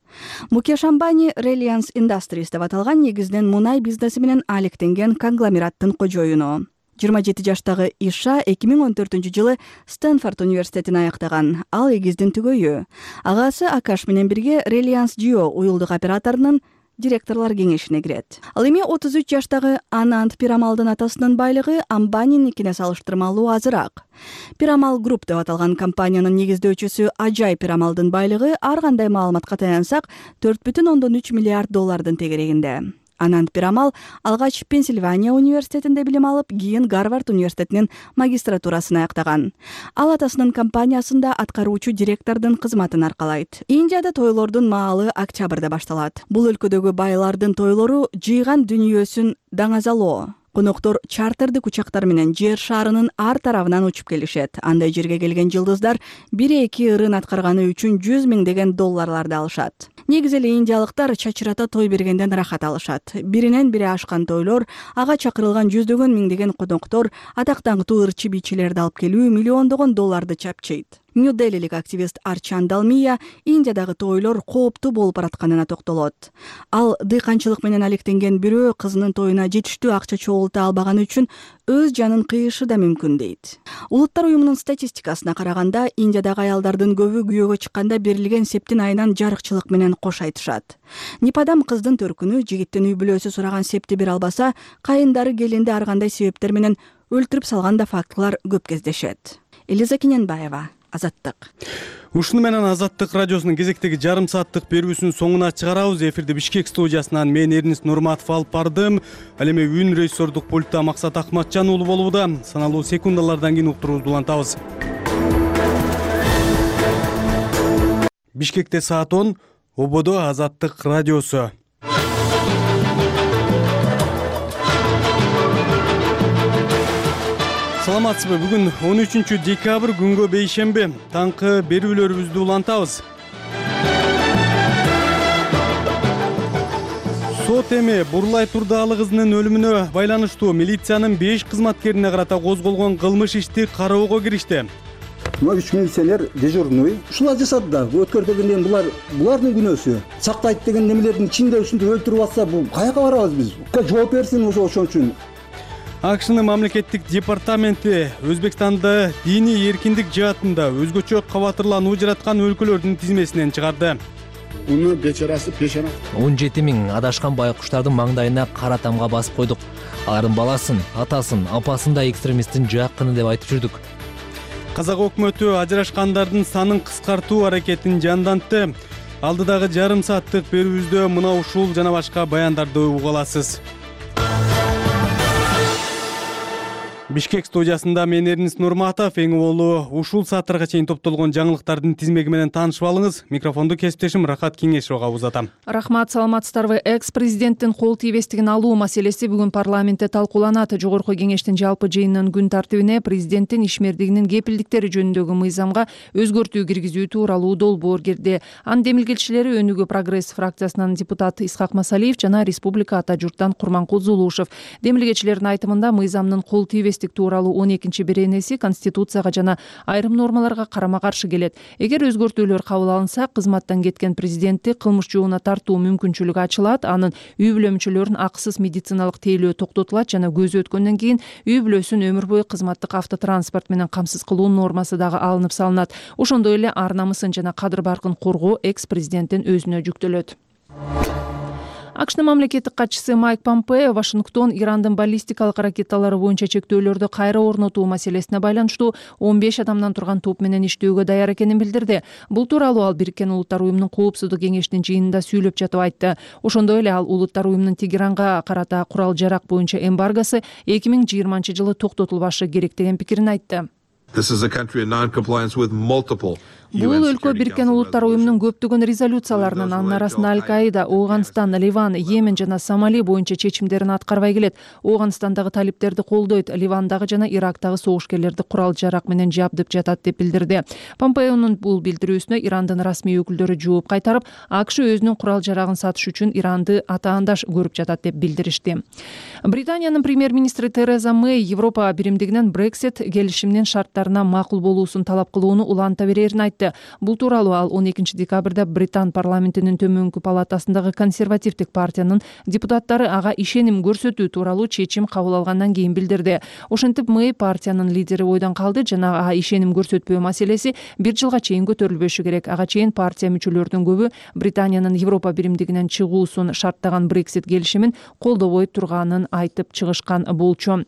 P: Мукеш Амбани Reliance Industries деп аталган негизинен мунай бизнеси менен алектенген конгломераттын кожоюну. жыйырма жети жаштагы Иша эки миң он төртүнчү жылы Стэнфорд университетин аяктаган. Ал эгиздин түгөйү. Агасы Акаш менен бирге Reliance Jio уюлдук операторунун директорлор кеңешине кирет. Ал эми отуз үч жаштагы Анант Пирамалдын атасынын байлыгы Амбаниникине салыштырмалуу азыраак. Пирамал Group деп аталган компаниянын негиздөөчүсү Ажай Пирамалдын байлыгы ар кандай маалыматка таянсак төрт бүтүн ондон үч миллиард доллардын тегерегинде. Анант Пирамал алгач Пенсильвания университетинде билим алып, кийин Гарвард университетинин магистратурасын аяктаган. Ал атасынын компаниясында аткаруучу директордун кызматын аркалайт. Индияда тойлордун маалы октябрда башталат. Бул өлкөдөгү байлардын тойлору жыйган дүнүйөсүн даңазалоо. Коноктор чартердик учактар менен жер шарынын ар тарабынан учуп келишет. Андай жерге келген жылдыздар бир-эки ырын аткарганы үчүн жүз миңдеген долларларды алышат. Негизи эле индиялыктар чачырата той бергенден рахат алышат. Биринен бири ашкан тойлор, ага чакырылган жүздөгөн миңдеген коноктор, атактаңктуу ырчы бийчилерди алып келүү миллиондогон долларды чапчыйт. Нью-Делилик активист Арчан Далмия Индиядагы тойлор кооптуу болуп баратканына токтолот. Ал дыйканчылык менен алектенген бирөө кызынын тоюна жетиштүү акча чогулта албаганы үчүн өз жанын кыйышы да мүмкүн дейт. Улуттар уюмунун статистикасына караганда, Индиядагы аялдардын көбү күйөөгө чыкканда берилген септин айынан жарыкчылык менен кош айтышат. Нипадам кыздын төркүнү жигиттин үй бүлөсү сураган септи бере албаса, кайындары келинди ар кандай себептер менен өлтүрүп салган да фактылар көп кездешет. Элиза Кененбаева, Азаттык.
A: Ушуну менен Азаттык радиосунун кезектеги жарым сааттык берүүсүнүн соңуна чыгарабыз. Эфирди Бишкек студиясынан мен Эрнис Нурматов алып бардым. Ал эми үн режиссердук пультта Максат Акматжан уулу болууда. Саналуу секундалардан кийин уктуруубузду улантабыз. Бишкекте саат он, Ободо Азаттык радиосу. Саламатсызбы? Бүгүн он үчүнчү декабрь күнгө бейшемби. Таңкы берүүлөрүбүздү улантабыз. Сот эми Бурлай Турдаалы кызынын өлүмүнө байланыштуу милициянын беш кызматкерине карата козголгон кылмыш ишти кароого киришти.
B: Мына үч милиционер дежурный ушулар жасады да. Өткөртөгөндөн булар булардын күнөөсү. Сактайт деген немелердин ичинде ушинтип өлтүрүп атса, бул каяка барабыз биз? Жооп берсин ошо ошон үчүн.
A: АКШнын мамлекеттик департаменти Өзбекстанда диний эркиндик жаатында өзгөчө кабатырлануу жараткан өлкөлөрдүн тизмесинен чыгарды.
H: Уну бечарасы пешана.
O: он жети миң адашкан байкуштардын маңдайына кара тамга басып койдук. Алардын баласын, атасын, апасын да экстремисттин жакыны деп айтып жүрдүк.
A: Казак өкмөтү ажырашкандардын санын кыскартуу аракетин жандантты. Алдыдагы жарым сааттык берүүбүздө мына ушул жана башка баяндарды уга аласыз. Бишкек студиясында мен Эрнис Нурматов. Эң болуу ушул сааттарга чейин топтолгон жаңылыктардын тизмеги менен таанышып алыңыз. Микрофонду кесиптешим Рахат Кеңешовго узатам.
I: Рахмат, саламатсыздарбы? Экс-президенттин кол тийбестигин алуу маселеси бүгүн парламентте талкууланат. Жогорку кеңештин жалпы жыйынынын күн тартибине президенттин ишмердигинин кепилдиктери жөнүндөгү мыйзамга өзгөртүү киргизүү тууралуу долбоор кирди. Анын демилгечилери Өнүгүү прогресс фракциясынын депутаты Исхак Масалиев жана Республика ата журттан Курманкул Зулушев. Демилгечилердин айтымында мыйзамдын кол тийбестик тууралуу он экинчи беренеси Конституцияга жана айрым нормаларга карама-каршы келет. Эгер өзгөртүүлөр кабыл алынса, кызматтан кеткен президентти кылмыш жообуна тартуу мүмкүнчүлүгү ачылат. Анын үй бүлө мүчөлөрүн акысыз медициналык тейлөө токтотулат жана көзү өткөндөн кийин үй бүлөсүн өмүр бою кызматтык автотранспорт менен камсыз кылуу нормасы дагы алынып салынат. Ошондой эле ар намысын жана кадыр баркын коргоо экс-президенттин өзүнө жүктөлөт. АКШнын мамлекеттик катчысы Майк Помпео Вашингтон Ирандын баллистикалык ракеталары боюнча чектөөлөрдү кайра орнотуу маселесине байланыштуу он беш адамдан турган топ менен иштөөгө даяр экенин билдирди. Бул тууралуу ал Бириккен Улуттар уюмунун коопсуздук кеңешинин жыйынында сүйлөп жатып айтты. Ошондой эле ал Улуттар уюмунун Тегеранга карата курал-жарак боюнча эмбаргосы эки миң жыйырманчы жылы токтотулбашы керек деген пикирин айтты. Бул өлкө Бириккен Улуттар уюмунун көптөгөн резолюцияларынын, анын арасында Аль-Каида, Ооганстан, Ливан, Йемен жана Сомали боюнча чечимдерин аткарбай келет. Ооганстандагы талиптерди колдойт, Ливандагы жана Ирактагы согушкерлерди курал-жарак менен жабдып жатат деп билдирди. Помпеонун бул билдирүүсүнө Ирандын расмий өкүлдөрү жооп кайтарып, АКШ өзүнүн курал-жарагын сатыш үчүн Иранды атаандаш көрүп жатат деп билдиришти. Британиянын премьер-министри Тереза Мэй Европа биримдигинен Брексит келишиминин шарттарына макул болуусун талап кылууну уланта берерин айтты. Бул тууралуу ал он экинчи декабрда Британ парламентинин төмөнкү палатасындагы консервативдик партиянын депутаттары ага ишеним көрсөтүү тууралуу чечим кабыл алгандан кийин билдирди. Ошентип Мэй партиянын лидери ойдон калды жана ага ишеним көрсөтпөө маселеси бир жылга чейин көтөрүлбөшү керек. Ага чейин партия мүчөлөрүнүн көбү Британиянын Европа биримдигинен чыгуусун шарттаган Брексит келишимин колдобой турганын айтып чыгышкан болчу.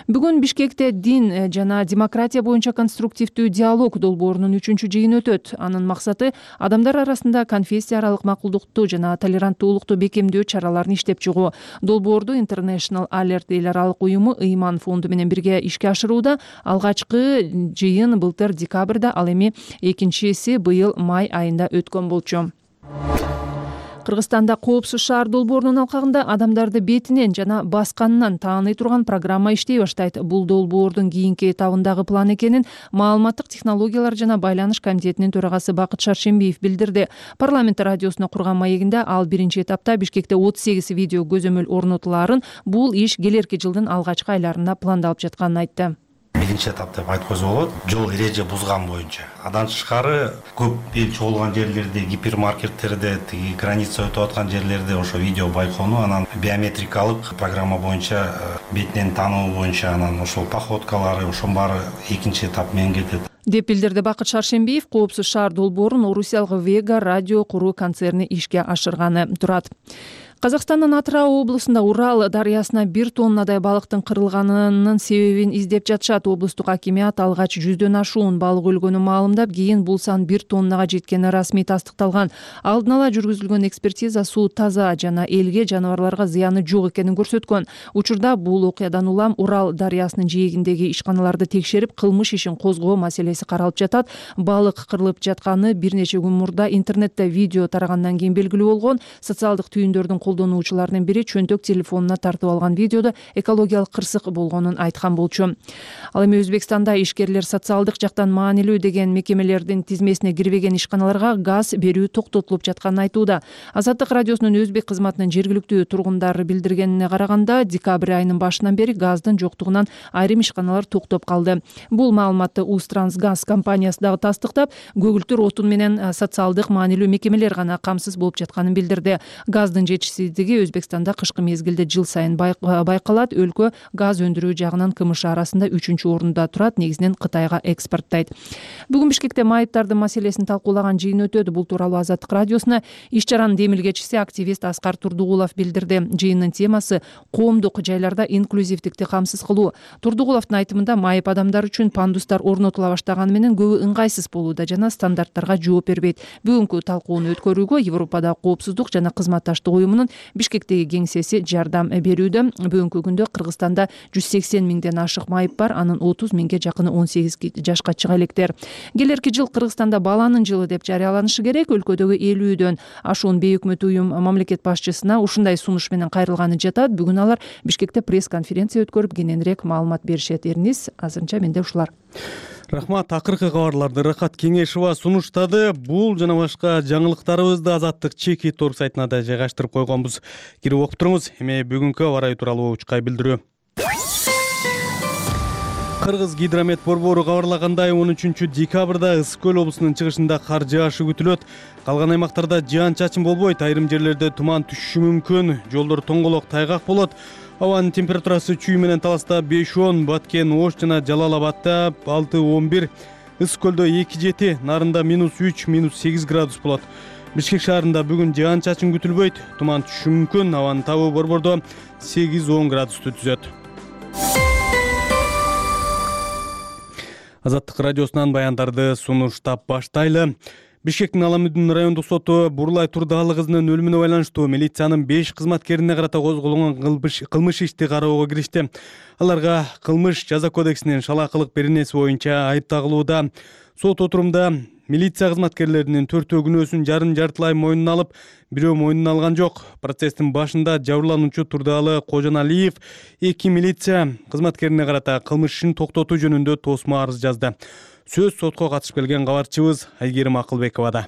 I: Бүгүн Бишкекте дин жана демократия боюнча конструктивдүү диалог долбоорунун үчүнчү жыйыны өтөт. Анын максаты адамдар арасында конфессия аралык макулдукту жана толеранттуулукту бекемдөө чараларын иштеп чыгуу. Долбоорду International Alert эл аралык уюму Ыйман фонду менен бирге ишке ашырууда. Алгачкы жыйын былтыр декабрда, ал эми экинчиси быйыл май айында өткөн болчу. Кыргызстанда коопсуз шаар долбоорунун алкагында адамдарды бетинен жана басканынан тааный турган программа иштей баштайт. Бул долбоордун кийинки этабындагы план экенин Маалыматтык технологиялар жана байланыш комитетинин төрагасы Бакыт Шаршембиев билдирди. Парламент радиосуна курган маегинде ал биринчи этапта Бишкекте отуз сегиз видео көзөмөл орнотулаарын, бул иш келерки жылдын алгачкы айларында пландалып жатканын айтты.
F: биринчи этап деп айткызып болот. Жол эреже бузган боюнча. Андан тышкары көп эл чогулган жерлерде, гипермаркеттерде, тиги граница өтүп аткан жерлерде ошо видео байкоону, анан биометрикалык программа боюнча бетинен таануу боюнча анан ошол походкалары, ошонун баары экинчи этап менен кетет
I: деп билдирди Бакыт Шаршембиев. Коопсуз шаар долбоорун Орусиялык Вега радио куруу концерни ишке ашырганы турат. Казакстандын Атырау облусунда Урал дарыясына бир тоннадай балыктын кырылганынын себебин издеп жатышат. Облустук акимият алгач жүздөн ашуун балык өлгөнүн маалымдап, кийин бул сан бир тоннага жеткени расмий тастыкталган. Алдын ала жүргүзүлгөн экспертиза суу таза жана элге, жаныбарларга зыяны жок экенин көрсөткөн. Учурда бул окуядан улам Урал дарыясынын жээгиндеги ишканаларды текшерип, кылмыш ишин козгоо маселеси каралып жатат. Балык кырылып жатканы бир нече күн мурда интернетте видео тарагандан кийин белгилүү болгон. Социалдык түйүндөрдүн колдонуучуларынын бири чөнтөк телефонуна тартып алган видеодо экологиялык кырсык болгонун айткан болчу. Ал эми Өзбекстанда ишкерлер социалдык жактан маанилүү деген мекемелердин тизмесине кирбеген ишканаларга газ берүү токтотулуп жатканын айтууда. Азаттык радиосунун өзбек кызматынын жергиликтүү тургундары билдиргенине караганда, декабрь айынын башынан бери газдын жоктугунан айрым ишканалар токтоп калды. Бул маалыматты Узтрансгаз компаниясы дагы тастыктап, көгүлтүр отун менен социалдык маанилүү мекемелер гана камсыз болуп жатканын билдирди. Газдын жетишсиздиги Өзбекстанда кышкы мезгилде жыл сайын байкалат. Өлкө газ өндүрүү жагынан КМШ арасында үчүнчү орунда турат, негизинен Кытайга экспорттойт. Бүгүн Бишкекте майыптардын маселесин талкуулаган жыйын өтөдү. Бул тууралуу Азаттык радиосуна иш чаранын демилгечиси активист Аскар Турдугулов билдирди. Жыйындын темасы коомдук жайларда инклюзивдикти камсыз кылуу. Турдугуловдун айтымында, майып адамдар үчүн пандустар орнотула баштаганы менен көбү ыңгайсыз болууда жана стандарттарга жооп бербейт. Бүгүнкү талкууну өткөрүүгө Европада коопсуздук жана кызматташтык уюмунун Бишкектеги кеңсеси жардам берүүдө. Бүгүнкү күндө Кыргызстанда жүз сексен миңден ашык майып бар, анын отуз миңге жакыны он сегиз жашка чыга электер. Келерки жыл Кыргызстанда баланын жылы деп жарыяланышы керек. Өлкөдөгү элүүдөн ашуун бейөкмөт уюм мамлекет башчысына ушундай сунуш менен кайрылганы жатат. Бүгүн алар Бишкекте пресс-конференция өткөрүп, кененирээк маалымат беришет. Эрниз, азырынча менде ушулар.
A: Рахмат, акыркы кабарларды Рахат Кеңешова сунуштады. Бул жана башка жаңылыктарыбызды Азаттык чеки торг сайтына да жайгаштырып койгонбуз. Кирип окуп туруңуз. Эми бүгүнкү аба ырайы тууралуу учкай билдирүү. Кыргыз гидромет борбору кабарлагандай, он үчүнчү декабрда Ысык көл облусунун чыгышында кар жаашы күтүлөт. Калган аймактарда жаан-чачын болбойт, айрым жерлерде туман түшүшү мүмкүн, жолдор тоңголок, тайгак болот. Абанын температурасы Чүй менен Таласта беш он, Баткен, Ош жана Жалал Абадда алты он бир, Ысык көлдө эки жети, Нарында минус үч, минус сегиз градус болот. Бишкек шаарында бүгүн жаан-чачын күтүлбөйт, туман түшүшү мүмкүн, абанын табы борбордо сегиз он градусту түзөт. Азаттык радиосунан баяндарды сунуштап баштайлы. Бишкектин Аламүдүн райондук соту Бурлай Турдаалы кызынын өлүмүнө байланыштуу милициянын беш кызматкерине карата козголгон кылмыш ишти кароого киришти. Аларга кылмыш жаза кодексинин шалаакылык беренеси боюнча айып тагылууда. Сот отурумда милиция кызматкерлеринин төртөө күнөөсүн жарым жартылай мойнуна алып, бирөө мойнуна алган жок. Процесстин башында жабырлануучу Турдаалы Кожоналиев эки милиция кызматкерине карата кылмыш ишин токтотуу жөнүндө тосмо арыз жазды. Сөз сотко катышып келген кабарчыбыз Айгерим Акылбековада.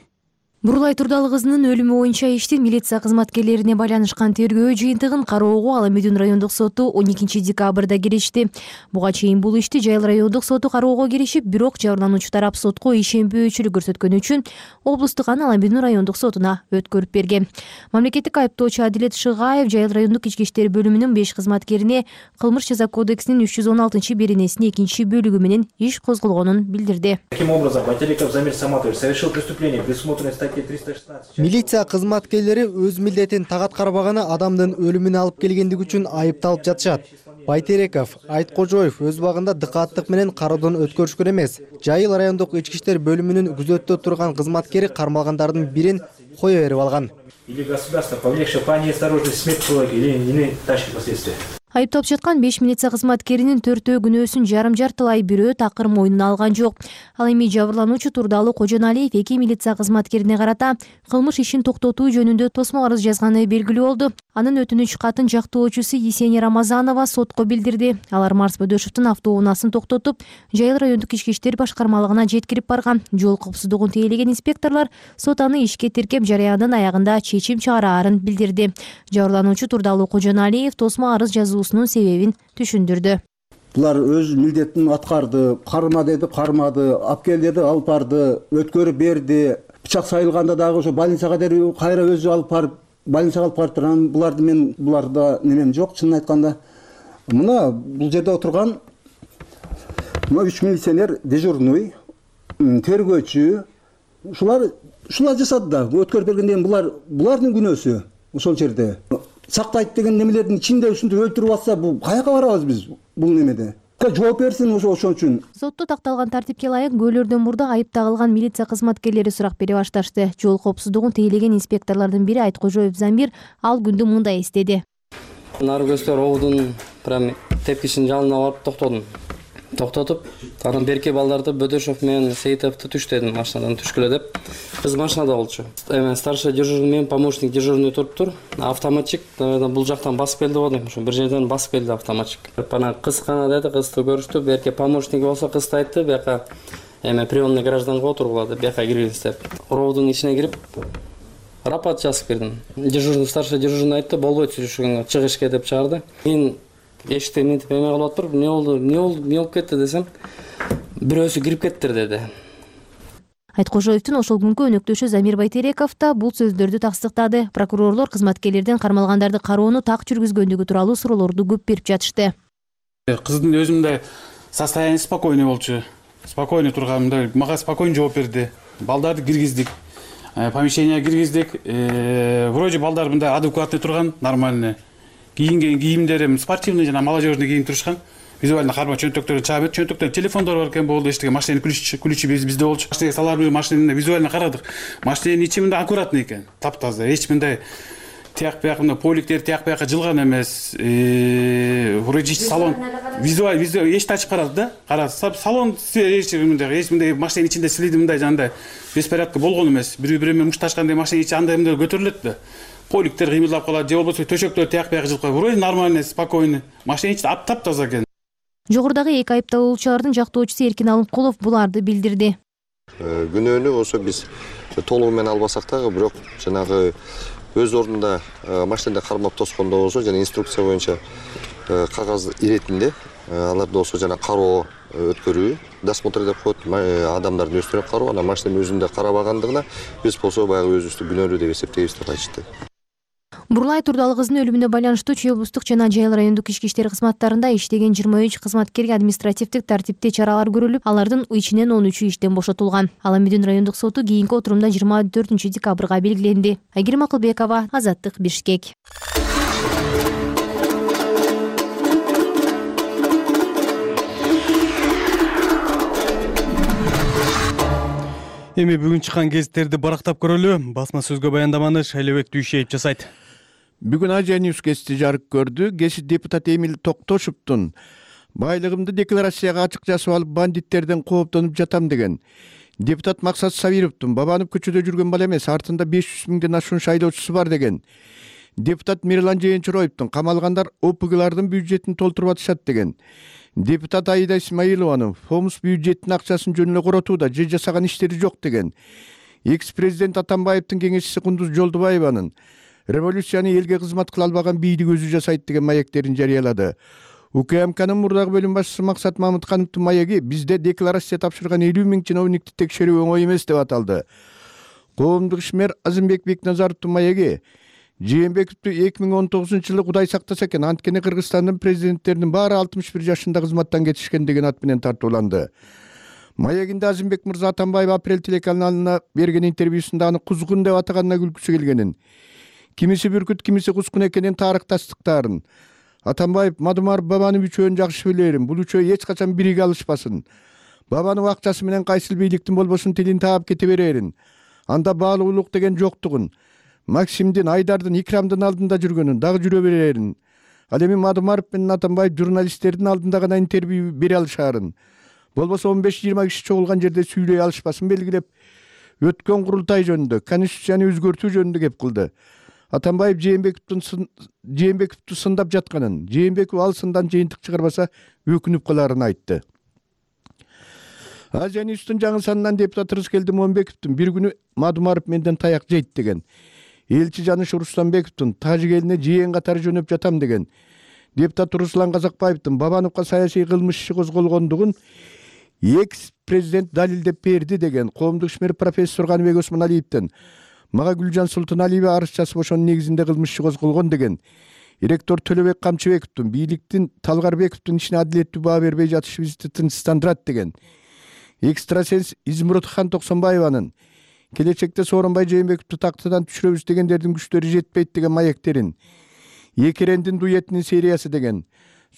J: Бурлай Турдаалы кызынын өлүмү боюнча иштин милиция кызматкерлерине байланышкан тергөө жыйынтыгын кароого Аламүдүн райондук соту он экинчи декабрда киришти. Буга чейин бул ишти Жайыл райондук соту кароого киришип, бирок жабырлануучу тарап сотко ишенбөөчүлүк көрсөткөнү үчүн облустук аны Аламүдүн райондук сотуна өткөрүп берген. Мамлекеттик айыптоочу Адилет Шыгаев Жайыл райондук ички иштер бөлүмүнүн беш кызматкерине кылмыш жаза кодексинин үч жүз он алтынчы беренесинин экинчи бөлүгү менен иш козголгонун билдирди.
L: Таким образом, Байтереков Замир Саматович совершил преступление, предусмотренное статьей триста шестнадцать.
X: Милиция кызматкерлери өз милдетин тагат карабаганы адамдын өлүмүнө алып келгендиги үчүн айыпталып жатышат. Байтереков, Айткожоев өз убагында дыкааттык менен кароодон өткөрүшкөн эмес. Жайыл райондук ички иштер бөлүмүнүн күзөттө турган кызматкери кармалгандардын бирин кое берип алган.
L: Или государство, повлекшее по неосторожности смерть человека, или иные тяжкие последствия.
J: Айыпталып жаткан беш милиция кызматкеринин төртөө күнөөсүн жарым жартылай, бирөө такыр мойнуна алган жок. Ал эми жабырлануучу Турдаалы Кожоналиев эки милиция кызматкерине карата кылмыш ишин токтотуу жөнүндө тосмо арыз жазганы белгилүү болду. Анын өтүнүч катын жактоочусу Есения Рамазанова сотко билдирди. Алар Марс Бөдөшевдин автоунаасын токтотуп, Жайыл райондук ички иштер башкармалыгына жеткирип барган. Жол коопсуздугун тейлеген инспекторлор сот аны ишке тиркеп, жарыяндын аягында чечим чыгараарын билдирди. Жабырлануучу Турдаалы Кожоналиев тосмо арыз жазуусунун себебин түшүндүрдү.
B: булар өз милдетин аткарды, карма деди, кармады, алып кел деди, алып барды, өткөрүп берди. Бычак сайылганда дагы ошо больницага дереw кайра өзү алып барып, больницага алып барып турган. Буларды мен буларда немем жок, чынын айтканда. Мына бул жерде отурган мына үч милиционер, дежурный, тергөөчү, ушулар ушулар жасады да. Өткөрүп бергенден булар булардын күнөөсү ошол жерде. Сактайт деген немелердин ичинде ушинтип өлтүрүп атса, бул каяка барабыз биз бул немеде? Жооп берсин ошо ошон үчүн.
J: Сотто такталган тартипке ылайык көөлөрдөн мурда айып тагылган милиция кызматкерлери сурак бере башташты. Жол коопсуздугун тейлеген инспекторлордун бири Айткожоев Замир ал күндү мындай эстеди.
K: Наркөстөр оодун прям тепкичин жалына барып токтодум. Токтотуп, анан берки балдарды Бөдөшов менен Сейитовду түш дедим, машинадан түшкүлө деп. Кыз машинада болчу. Эме старший дежурный менен помощник дежурный туруптур. Автоматчик бул жактан басып келди го дейм. Ошо бир жерден басып келди автоматчик. Анан кыз гана деди, кызды көрүштү. Берки помощник болсо кызды айтты, бияка эме приемный гражданга отургула деп, бияка киргиз деп. Роодун ичине кирип рапорт жазып кирдим. Дежурный старший дежурный айтты, болбойт сүйлөшкөнгө, чыг ишке деп чыгарды. Мен эшикте мынтип эме кылып атып, эмне болду, эмне болду, эмне болуп кетти десем, бирөөсү кирип кеттир деди.
J: Айткожоевдун ошол күнкү өнөктөшү Замир Байтереков да бул сөздөрдү тастыктады. Прокурорлор кызматкерлерден кармалгандарды кароону так жүргүзгөндүгү тууралуу суроолорду көп берип жатышты.
H: Кыздын өзүмдө состояние спокойный болчу. Спокойный турганымда мага спокойно жооп берди. Балдарды киргиздик. Помещение киргиздик. Вроде балдар мындай адекватный турган, нормальный. Кийинген кийимдерим спортивный жана молодежный кийинип турушкан. Визуально карма чөнтөктөрү чаап берди. Чөнтөктөр телефондор бар экен болду, эчтеге машинанын ключи ключи бизде болчу. Машинеге салар машинаны визуально карадык. Машинанын ичи мындай аккуратный экен, таптаза. Эч мындай тияк бияк мына поликтер тияк бияка жылган эмес. Вроде салон визуально визуально эчти ачып карады да. Карады. Салон эч мындай эч мындай машинанын ичинде силиди мындай жандай беспорядка болгон эмес. Бири-бири менен мушташкандай машинанын ичи андай мындай көтөрүлөт да. Поликтер кыймылдап калат, же болбосо төшөктөр тияк бияк жылып калат. Вроде нормальный, спокойный. Машинанын ичи таптаза экен.
J: Жогорудагы эки айыпталуучулардын жактоочусу Эркин Алымкулов буларды билдирди.
M: Күнөөнү ошо биз толугу менен албасак дагы, бирок жанагы өз ордунда машинада кармап тоскондо болсо жана инструкция боюнча кагаз иретинде аларды болсо жана кароо өткөрүү, досмотр деп коет, адамдардын өздөрүнө кароо, анан машинанын өзүндө карабагандыгына биз болсо баягы өзүбүздү күнөөлүү деп эсептейбиз деп айтышты.
J: Бурлай Турдалы кызынын өлүмүнө байланыштуу Чүй облустук жана Жайыл райондук ички иштер кызматтарында иштеген жыйырма үч кызматкерге административдик тартипте чаралар көрүлүп, алардын ичинен он үчү иштен бошотулган. Ал Медүн райондук соту кийинки отурумда жыйырма төртүнчү декабрга белгиленди. Айгерим Акылбекова, Азаттык, Бишкек.
A: Эми бүгүн чыккан гезиттерди барактап көрөлү. Басма сөзгө баяндаманы Шайлебек Дүйшеев жасайт.
N: Бүгүн Азия Ньюс гезити жарык көрдү. Гезит депутат Эмил Токтошевдун байлыгымды декларацияга ачык жазып алып, бандиттерден кооптонуп жатам деген. Депутат Максат Сабировдун Бабанов көчөдө жүргөн бала эмес, артында беш жүз миңден ашуун шайлоочусу бар деген. Депутат Мирлан Жээнчуроевдун камалгандар о пэ гэлардын бюджетин толтуруп атышат деген. Депутат Аида Исмаилованын фомус бюджеттин акчасын жөн эле коротууда, же жасаган иштери жок деген. Экс-президент Атамбаевдин кеңешчиси Кундуз Жолдубаеванын революцияны элге кызмат кыла албаган бийдик өзү жасайт деген маектерин жарыялады. У ка эм кнын мурдагы бөлүм башчысы Максат Мамыткановдун маеги бизде декларация тапшырган элүү миң чиновникти текшерүү оңой эмес деп аталды. Коомдук ишмер Азымбек Бекназаровдун маеги Жээнбековду эки миң он тогузунчу жылы Кудай сактаса экен, анткени Кыргызстандын президенттеринин баары алтымыш бир жашында кызматтан кетишкен деген ат менен тартууланды. Маегинде Азымбек мырза Атамбаев Апрель телеканалына берген интервьюсунда аны кузгун деп атаганына күлкүсү келгенин, кимиси бүркүт, кимиси кускун экенин тарых тастыктаарын. Атамбаев Мадумаров Бабанов үчөөнү жакшы билерим, бул үчөө эч качан бирге алышпасын. Бабанов акчасы менен кайсыл бийликтин болбосун тилин таап кете берерин. Анда баалуулук деген жоктугун, Максимдин, Айдардын, Икрамдын алдында жүргөнүн, дагы жүрө берерин. Ал эми Мадумаров менен Атамбаев журналисттердин алдында гана интервью бере алышаарын. Болбосо он беш жыйырма киши чогулган жерде сүйлөй алышпасын белгилеп, өткөн курултай жөнүндө, конституцияны өзгөртүү жөнүндө кеп кылды. Атамбаев Жээнбековдун Жээнбековду сындап жатканын, Жээнбеков ал сындан жыйынтык чыгарбаса өкүнүп каларын айтты. Азия Ньюстун жаңы санынан депутат Рыскелди Момбековдун бир күнү Мадумаров менден таяк жейт деген. Элчи Жаныш Рустамбековдун Тажик элине жыйын катары жөнөп жатам деген. депутат Руслан Казакбаевдин Бабановго саясий кылмыш иши козголгондугун экс президент далилдеп берди деген коомдук ишмер профессор Каныбек Осмоналиевден мага Гүлжан Султаналиева арыз жазып ошонун негизинде кылмыш иши козголгон деген ректор Төлөбек Камчыбековдун бийликтин Талгарбековдун ишине адилеттүү баа бербей жатышыбызды тынчсыздандырат деген экстрасенс Измурутхан Токсонбаеванын келечекте Сооронбай Жээнбековду тактадан түшүрөбүз дегендердин күчтөрү жетпейт деген маектерин, Екерендин дуэтинин сериясы деген,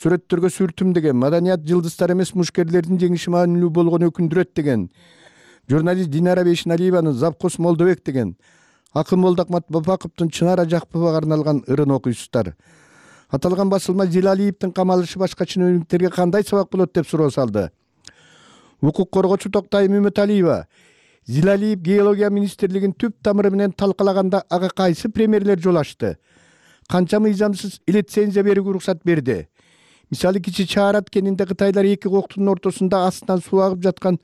N: сүрөттөргө сүртүм деген, маданият жылдыздар эмес мушкерлердин жеңиши маанилүү болгону өкүндүрөт деген, журналист Динара Бейшиналиеванын Завкос Молдобек деген, Акын Молдакмат Бапаковдун Чынара Жакповага арналган ырын окуйсуздар. Аталган басылма Зилалиевдин камалышы башка чиновниктерге кандай сабак болот деп суроо салды. Укук коргоочу Токтайым Үмүталиева Зилалиев геология министрлигин түп тамыры менен талкалаганда ага кайсы премьерлер жол ачты? Канча мыйзамсыз лицензия берүүгө уруксат берди? Мисалы Кичи Чаарат кенинде Кытайлар эки коктун ортосунда астынан суу агып жаткан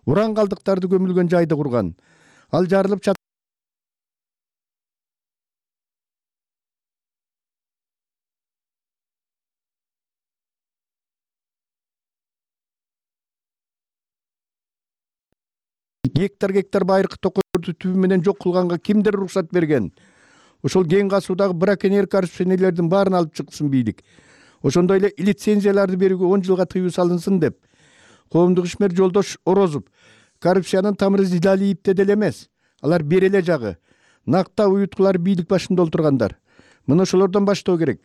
N: уран калдыктарды көмүлгөн жайды курган. Ал жарылып чат гектар гектар байыркы токойду түбү менен жок кылганга кимдер уруксат берген? Ошол кең касуудагы браконьер коррупционерлердин баарын алып чыксын бийлик. Ошондой эле лицензияларды берүүгө он жылга тыюу салынсын деп. Коомдук ишмер Жолдош Орозов коррупциянын тамыры Зилалиевде деле эмес. Алар бери эле жагы. Накта уюткулар бийлик башында отургандар. Мына ошолордон баштоо керек.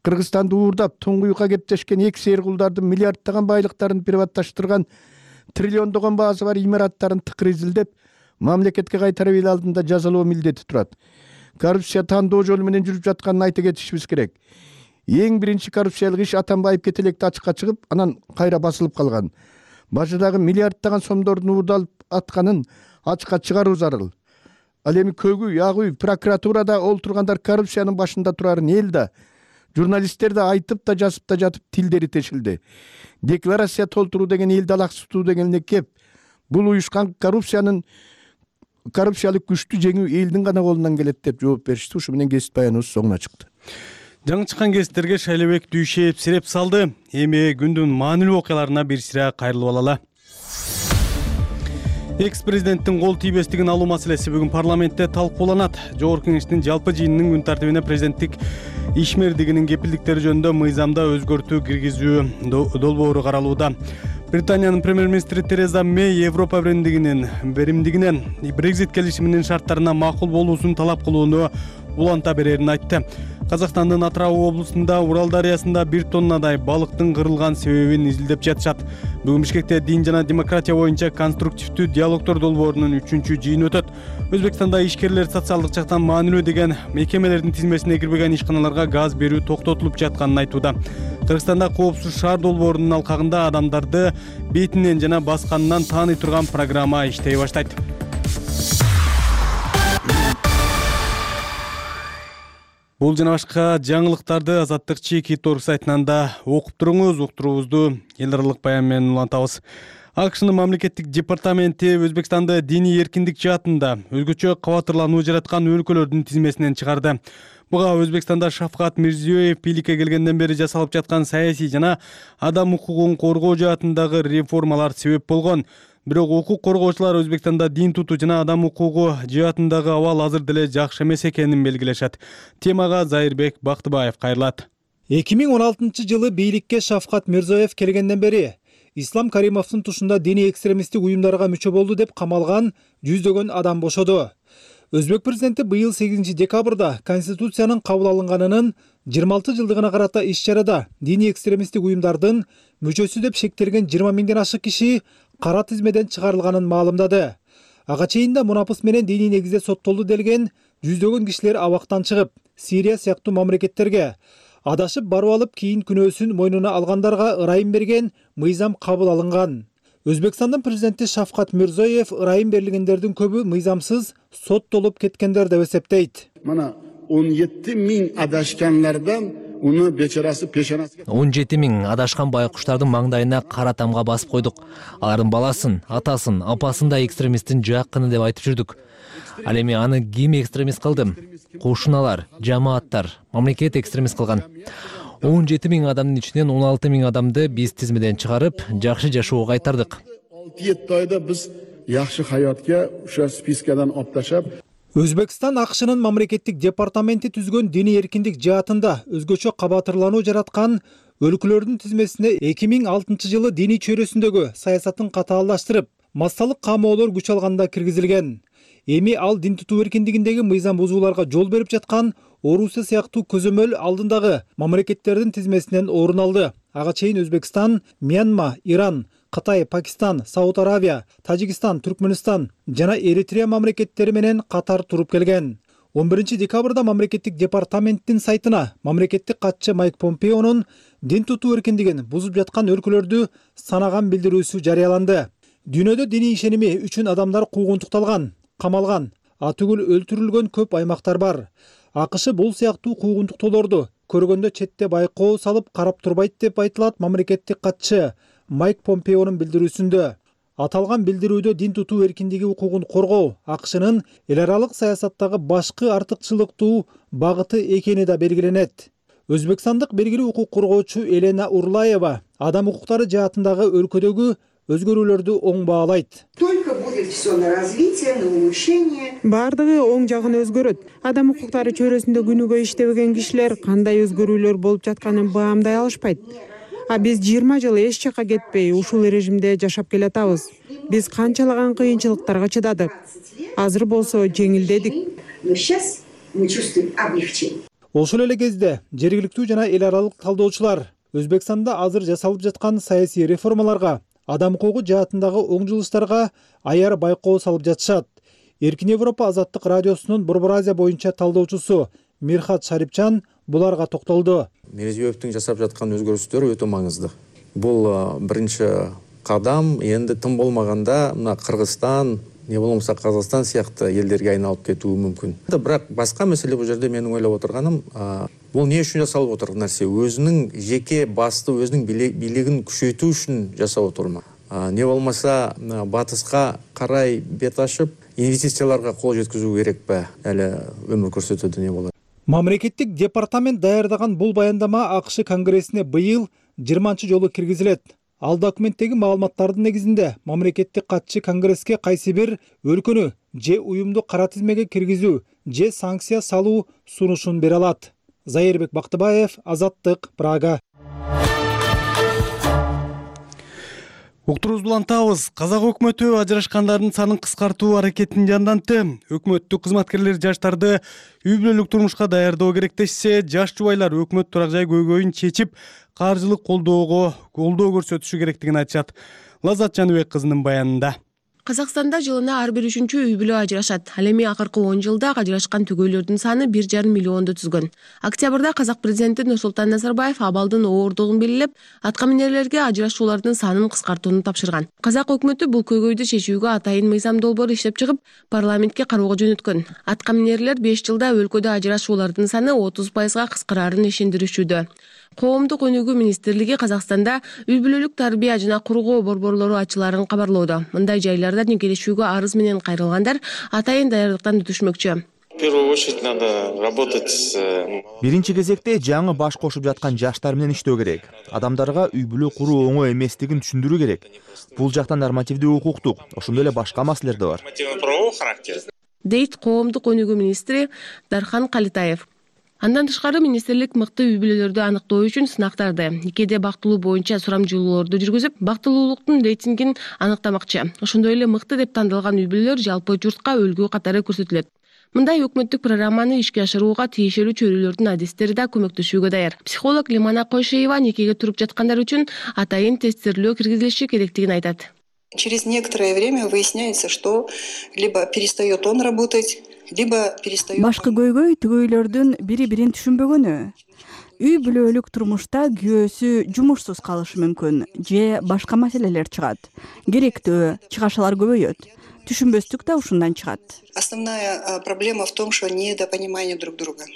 N: Кыргызстанды уурдап, туңгуюкка кептешкен эки сыйыр кулдардын миллиарддаган байлыктарын приватташтырган триллиондогон баасы бар имараттарын тыкыр изилдеп, мамлекетке кайтарып эл алдында жазалоо милдети турат. Коррупция тандоо жолу менен жүрүп жатканын айта кетишибиз керек. Эң биринчи коррупциялык иш Атамбаев кетелекте ачыкка чыгып, анан кайра басылып калган. Башыдагы миллиарддаган сомдордун уурдалып атканын ачыкка чыгаруу зарыл. Ал эми көгүй, агүй, прокуратурада олтургандар коррупциянын башында турарын эл да, журналисттер да айтып да жазып да жатып тилдери тешилди. Декларация толтуруу деген элди алаксытуу дегенге кеп, бул уюшкан коррупциянын коррупциялык күчтү жеңүү элдин гана колунан келет деп жооп беришти. Ушу менен кесип баяныбыз соңуна чыкты.
A: Жаңы чыккан кесиптерге Шайлебек Дүйшеев сиреп салды. Эми күндүн маанилүү окуяларына бир сыра кайрылып алалы. Экс-президенттин кол тийбестигин алуу маселеси бүгүн парламентте талкууланат. Жогорку Кеңештин жалпы жыйынынын күн тартибине президенттик ишмердигинин кепилдиктери жөнүндө мыйзамда өзгөртүү киргизүү долбоору каралууда. Британиянын премьер-министри Тереза Мэй Европа биримдигинин биримдигинен Брексит келишиминин шарттарына макул болуусун талап кылууну уланта берерин айтты. Казакстандын Атырау облусунда Урал дарыясында бир тоннадай балыктын кырылган себебин изилдеп жатышат. Бүгүн Бишкекте дин жана демократия боюнча конструктивдүү диалогдор долбоорунун үчүнчү жыйыны өтөт. Өзбекстанда ишкерлер социалдык жактан маанилүү деген мекемелердин тизмесине кирбеген ишканаларга газ берүү токтотулуп жатканын айтууда. Кыргызстанда коопсуз шаар долбоорунун алкагында адамдарды бетинен жана басканынан тааный турган программа иштей баштайт. Бул жана башка жаңылыктарды Азаттык Чеки Торг сайтынан да окуп туруңуз. Уктуруубузду эл аралык баян менен улантабыз. АКШнын мамлекеттик департаменти Өзбекстанды диний эркиндик жаатында өзгөчө кабатырлануу жараткан өлкөлөрдүн тизмесинен чыгарды. Буга Өзбекстанда Шавкат Мирзиёев бийликке келгенден бери жасалып жаткан саясий жана адам укугун коргоо жаатындагы реформалар себеп болгон. Бирок укук коргоочулар Өзбекстанда дин тутуу жана адам укугу жаатындагы абал азыр деле жакшы эмес экенин белгилешет. Темага Зайырбек Бактыбаев кайрылат.
Q: эки миң он алтынчы жылы бийликке Шавкат Мирзиёев келгенден бери Ислам Каримовдун тушунда диний экстремисттик уюмдарга мүчө болду деп камалган жүздөгөн адам бошоду. Өзбек президенти быйыл сегизинчи декабрда Конституциянын кабыл алынганынын жыйырма алты жылдыгына карата иш-чарада диний экстремисттик уюмдардын мүчөсү деп шектелген жыйырма миңден ашык киши кара тизмеден чыгарылганын маалымдады. Ага чейин да мунапыс менен диний негизде соттолду делген жүздөгөн кишилер абактан чыгып, Сирия сыяктуу мамлекеттерге адашып барып алып кийин күнөөсүн мойнуна алгандарга ырайым берген мыйзам кабыл алынган. Өзбекстандын президенти Шавкат Мирзиёев ырайым берилгендердин көбү мыйзамсыз соттолуп кеткендер деп эсептейт.
R: Мына он жети миң адашкандардан уну бечарасы пешанасы
O: он жети миң адашкан байкуштардын маңдайына кара тамга басып койдук. Алардын баласын, атасын, апасын да экстремисттин жакыны деп айтып жүрдүк. Ал эми аны ким экстремист кылды? Кошуналар, жамааттар, мамлекет экстремист кылган. он жети миң адамдын ичинен он алты миң адамды биз тизмеден чыгарып, жакшы жашоого кайтардык.
R: алты жети айда биз жакшы хаятка ошо спискадан алып ташлап.
Q: Өзбекстан АКШнын мамлекеттик департаменти түзгөн диний эркиндик жаатында өзгөчө кабатырлануу жараткан өлкөлөрдүн тизмесине эки миң алтынчы жылы диний чөйрөсүндөгү саясатын катаалдаштырып, массалык камоолор күч алганда киргизилген. Эми ал дин тутуу эркиндигиндеги мыйзам бузууларга жол берип жаткан Орусия сыяктуу көзөмөл алдындагы мамлекеттердин тизмесинен орун алды. Ага чейин Өзбекстан, Мьянма, Иран, Кытай, Пакистан, Сауд Аравия, Тажикстан, Түркмөнстан жана Эритрея мамлекеттери менен катар туруп келген. он биринчи декабрда мамлекеттик департаменттин сайтына мамлекеттик катчы Майк Помпеонун дин тутуу эркиндигин бузуп жаткан өлкөлөрдү санаган билдирүүсү жарыяланды. Дүйнөдө диний ишеними үчүн адамдар куугунтукталган, камалган, атүгүл өлтүрүлгөн көп аймактар бар. АКШ бул сыяктуу куугунтуктоолорду көргөндө четте байкоо салып карап турбайт деп айтылат мамлекеттик катчы Майк Помпеонун билдирүүсүндө. Аталган билдирүүдө дин тутуу эркиндиги укугун коргоо АКШнын эл аралык саясаттагы башкы артыкчылыктуу багыты экени да белгиленет. Өзбекстандык белгилүү укук коргоочу Елена Урлаева адам укуктары жаатындагы өлкөдөгү өзгөрүүлөрдү оң баалайт.
T: Только будет все на развитие, на улучшение.
U: Бардыгы оң жагын өзгөрөт. Адам укуктары чөйрөсүндө күнүгө иштебеген кишилер кандай өзгөрүүлөр болуп жатканын баамдай алышпайт. А биз жыйырма жыл эч жака кетпей ушул режимде жашап келатабыз. Биз канчалаган кыйынчылыктарга чыдадык. Азыр болсо жеңилдедик.
T: Но сейчас мы чувствуем облегчение.
Q: Ошол эле кезде жергиликтүү жана эл аралык талдоочулар Өзбекстанда азыр жасалып жаткан саясий реформаларга, адам укугу жаатындагы оң жылыштарга аяр байкоо салып жатышат. Эркин Европа азаттык радиосунун Борбор Азия боюнча талдоочусу Мирхат Шарипчан буларга токтолду.
V: Мирзиёевдин жасап жаткан өзгөрүштөр өтө маңызды. Бул биринчи кадам, энди тым болгондо мына Кыргызстан, не болмосо Казакстан сыяктуу элдерге айналып кетүү мүмкүн. Бирок башка маселе бул жерде менин ойлоп отурганым, бул эмне үчүн жасалып отурган нерсе? Өзүнүн жеке басты, өзүнүн бийлигин күчөйтүү үчүн жасап отурма. Не болмаса батыска карай бет ашып, инвестицияларга кол жеткизүү керекпи? Эле өмүр көрсөтөт эмне болот.
Q: Мамлекеттик департамент даярдаган бул баяндама АКШ Конгрессине быйыл жыйырманчы жолу киргизилет. Ал документтеги маалыматтардын негизинде мамлекеттик катчы Конгресске кайсы бир өлкөнү же уюмду кара тизмеге киргизүү же санкция салуу сунушун бере алат. Зайырбек Бактыбаев, Азаттык, Прага.
A: Уктуруубузду улантабыз. Казак өкмөтү ажырашкандардын санын кыскартуу аракетин жандантты. Өкмөттүк кызматкерлер жаштарды үй бүлөлүк турмушка даярдоо керек дешсе, жаш жубайлар өкмөт турак жай көйгөйүн чечип, каржылык колдоого колдоо көрсөтүшү керектигин айтышат. Лаззат Жаныбек кызынын баянында.
W: Казакстанда жылына ар бир үчүнчү үй бүлө ажырашат. Ал эми акыркы он жылда ажырашкан түгөйлөрдүн саны бир жарым миллионду түзгөн. Октябрда казак президенти Нурсултан Назарбаев абалдын ооругун белгилеп, атка минерлерге ажырашуулардын санын кыскартууну тапшырган. Казак өкмөтү бул көйгөйдү чечүүгө атайын мыйзам долбоор иштеп чыгып, парламентке кароого жөнөткөн. Атка минерлер беш жылда өлкөдө ажырашуулардын саны отуз пайызга кыскарарын ишендиришүүдө. Коомдук өнүгүү министрлиги Казакстанда үй бүлөлүк тарбия жана кургоо борборлору ачыларын кабарлоодо. Мындай жайларда никелешүүгө арыз менен кайрылгандар атайын даярдыктан өтүшмөкчү.
Y: В первую очередь надо работать с...
G: Биринчи кезекте жаңы баш кошуп жаткан жаштар менен иштөө керек. Адамдарга үй бүлө куруу оңой эместигин түшүндүрүү керек. Бул жактан нормативдүү укуктук, ошондой эле башка маселелер да бар.
Y: Нормативно-правовой характер.
W: Дейт коомдук өнүгүү министри Дархан Калитаев. Андан тышкары министрлик мыкты үй бүлөлөрдү аныктоо үчүн сынактарды, никеде бактылуу боюнча сурамжылоолорду жүргүзүп, бактылуулуктун рейтингин аныктамакчы. Ошондой эле мыкты деп тандалган үй бүлөлөр жалпы журтка үлгү катары көрсөтүлөт. Мындай өкмөттүк программаны ишке ашырууга тиешелүү чөйрөлөрдүн адистери да көмөктөшүүгө даяр. Психолог Лимана Койшеева никеге туруп жаткандар үчүн атайын тесттирлөө киргизилиши керектигин айтат.
Z: Через некоторое время выясняется, что либо перестает он работать, либо перестает...
P: Башкы көйгөй түгөйлөрдүн бири-бирин түшүнбөгөнү. Үй бүлөлүк турмушта күйөөсү жумушсуз калышы мүмкүн же башка маселелер чыгат. Керектөө чыгашалар көбөйөт. Түшүнбөстүк да ушундан чыгат.
Z: Основная проблема в том, что недопонимание друг друга.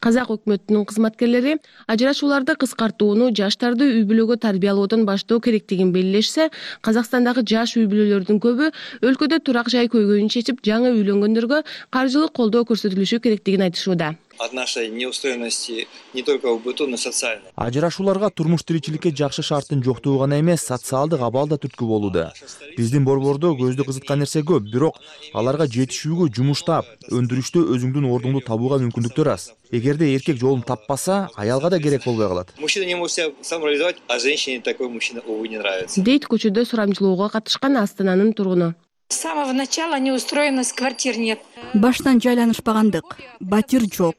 W: Казак өкмөтүнүн кызматкерлери ажырашууларды кыскартууну жаштарды үй бүлөгө тарбиялоодон баштоо керектигин белгилешсе, Казакстандагы жаш үй бүлөлөрдүн көбү өлкөдө турак жай көйгөйүн чечип, жаңы үйлөнгөндөргө каржылык колдоо көрсөтүлүшү керектигин айтышууда.
C: от нашей неустроенности не только в быту, но и социально.
G: Ажырашууларга турмуш тиричиликке жакшы шарттын жоктугу гана эмес, социалдык абал да түрткү болууда. Биздин борбордо көздү кызыткан нерсе көп, бирок аларга жетишүүгө жумуштап, өндүрүштө өзүңдүн ордуңду табууга мүмкүндүктөр аз. Эгерде эркек жолун таппаса, аялга да керек болбой калат.
C: Мужчина не может себя самореализовать, а женщине такой мужчина, увы, не нравится.
W: Дейт көчөдө сурамчылоого катышкан Астананын тургуну.
D: С самого начала неустроенность, квартир нет.
P: Баштан жайланышпагандык, батир жок.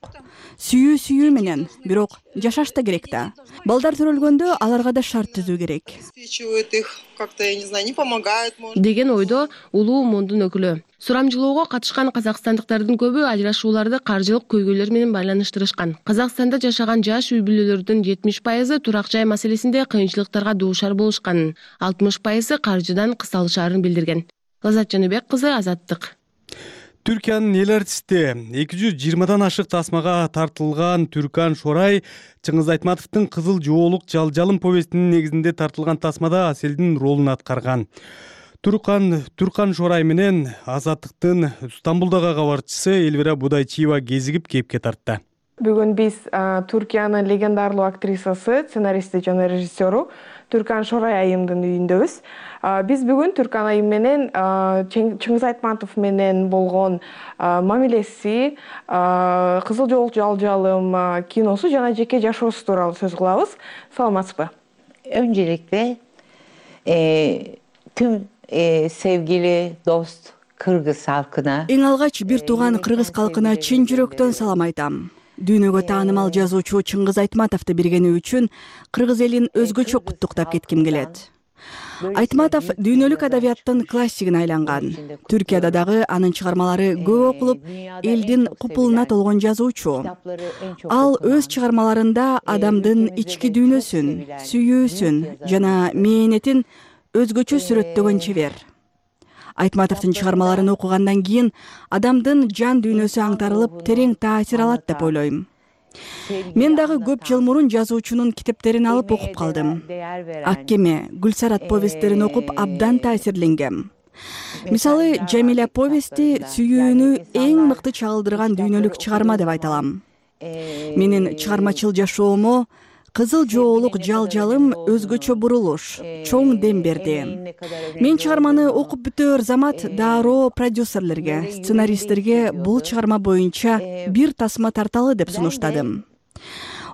P: Сүйүү сүйүү менен, бирок жашаш да керек да. Балдар төрөлгөндө аларга да шарт түзүү керек.
Z: Их как-то, я не знаю, не помогают, может.
W: Деген ойдо улуу мондун өкүлү. Сурамчылоого катышкан казакстандыктардын көбү ажырашууларды каржылык көйгөйлөр менен байланыштырышкан. Казакстанда жашаган жаш үй бүлөлөрдүн жетимиш пайызы турак жай маселесинде кыйынчылыктарга дуушар болушканын, алтымыш пайызы каржыдан кысалышаарын билдирген. Лаззат Жаныбек кызы, Азаттык.
A: Түркиянын эл артисти эки жүз жыйырмадан ашык тасмага тартылган Түркан Шорай Чыңгыз Айтматовдун Кызыл жоолук жалжалым повестинин негизинде тартылган тасмада Аселдин ролун аткарган. Туркан Туркан Шорай менен Азаттыктын Стамбулдагы кабарчысы Элвира Будайчиева кезигип кепке тартты.
E: Бүгүн биз Түркиянын легендарлуу актрисасы, сценаристи жана режиссеру Түркан Шорай айымдын үйүндөбүз. Биз бүгүн Түркан айым менен Чыңгыз Айтматов менен болгон мамилеси, Кызыл жоолук жалжалым киносу жана жеке жашоосу тууралуу сөз кылабыз. Саламатсызбы?
F: Öncelikle e, tüm e, sevgili dost Kırgız halkına
P: Эң алгач бир тууган кыргыз калкына чын жүрөктөн салам айтам. Дүйнөгө таанымал жазуучу Чыңгыз Айтматовду бергени үчүн кыргыз элин өзгөчө куттуктап кетким келет. Айтматов дүйнөлүк адабияттын классигине айланган. Түркияда дагы анын чыгармалары көп окулуп, элдин купулуна толгон жазуучу. Ал өз чыгармаларында адамдын ички дүйнөсүн, сүйүүсүн жана мээнетин өзгөчө сүрөттөгөн чебер. Айтматовдун чыгармаларын окугандан кийин адамдын жан дүйнөсү аңтарылып, терең таасир алат деп ойлойм. Мен дагы көп жыл мурун жазуучунун китептерин алып окуп калдым. Ак кеме, Гүлсарат повесттерин окуп абдан таасирленгем. Мисалы, Жамиля повести сүйүүнү эң мыкты чагылдырган дүйнөлүк чыгарма деп айта алам. Менин чыгармачыл жашоомо Кызыл жоолук жалжалым өзгөчө бурулуш, чоң дем берди. Мен чыгарманы окуп бүтөөр замат дароо продюсерлерге, сценаристтерге бул чыгарма боюнча бир тасма тарталы деп сунуштадым.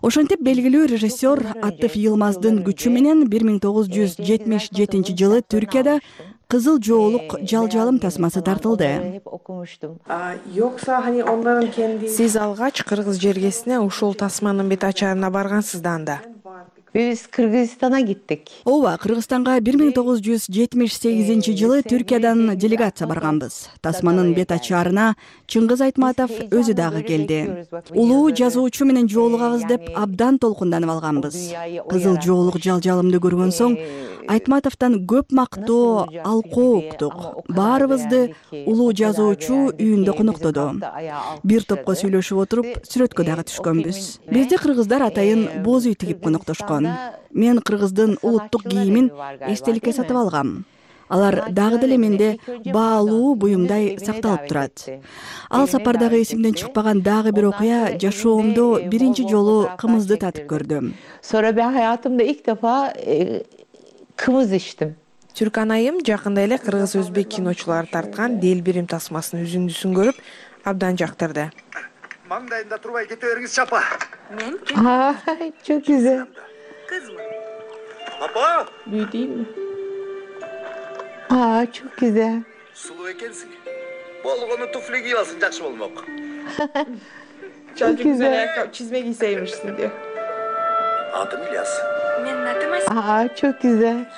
P: Ошентип белгилүү режиссер Аттыф Йылмаздын күчү менен бир миң тогуз жүз жетимиш жетинчи жылы Түркияда Кызыл жоолук жалжалым тасмасы тартылды.
E: Yoksa hani onların kendi... Siz algaç Kırgız jergesine ушул тасманын бет ачарына баргансыз да анда.
F: Biz Kırgızistan'a gittik.
P: Ооба, Кыргызстанга бир миң тогуз жүз жетимиш сегизинчи жылы Түркиядан делегация барганбыз. Тасманын бет ачарына Чыңгыз Айтматов өзү дагы келди. Улуу жазуучу менен жолугабыз деп абдан толкунданып алганбыз. Кызыл жоолук жалжалымды көргөн соң Айтматовдон көп мактоо, алкоо уктук. Баарыбызды улуу жазуучу үйүндө коноктоду. Бир топко сүйлөшүп отуруп, сүрөткө дагы түшкөнбүз. Бизде кыргыздар атайын боз үй тигип коноктошкон. Мен кыргыздын улуттук кийимин эстеликке сатып алгам. Алар дагы деле менде баалуу буюмдай сакталып турат. Ал сапардагы эсимден чыкпаган дагы бир окуя жашоомдо биринчи жолу кымызды татып көрдүм.
F: Sonra ben hayatımda ilk defa e, kımız içtim.
E: Түркан айым жакында эле кыргыз өзбек киночулары тарткан Дел бирим тасмасынын үзүндүсүн көрүп, абдан жактырды.
I: Маңдайында турбай кете бериңиз чапа.
F: Мен? Aa, çok güzel.
I: Kız mı? Papa?
E: Büyü değil mi?
F: Aa, çok güzel.
I: Sulu ekensin. Bolgonu tufli giyip alsın, jakşı bolmok.
E: Çok güzel ayakkabı çizme giyseymişsin diyor.
I: Adım İlyas.
F: Benim adım Asil. Aa, çok güzel.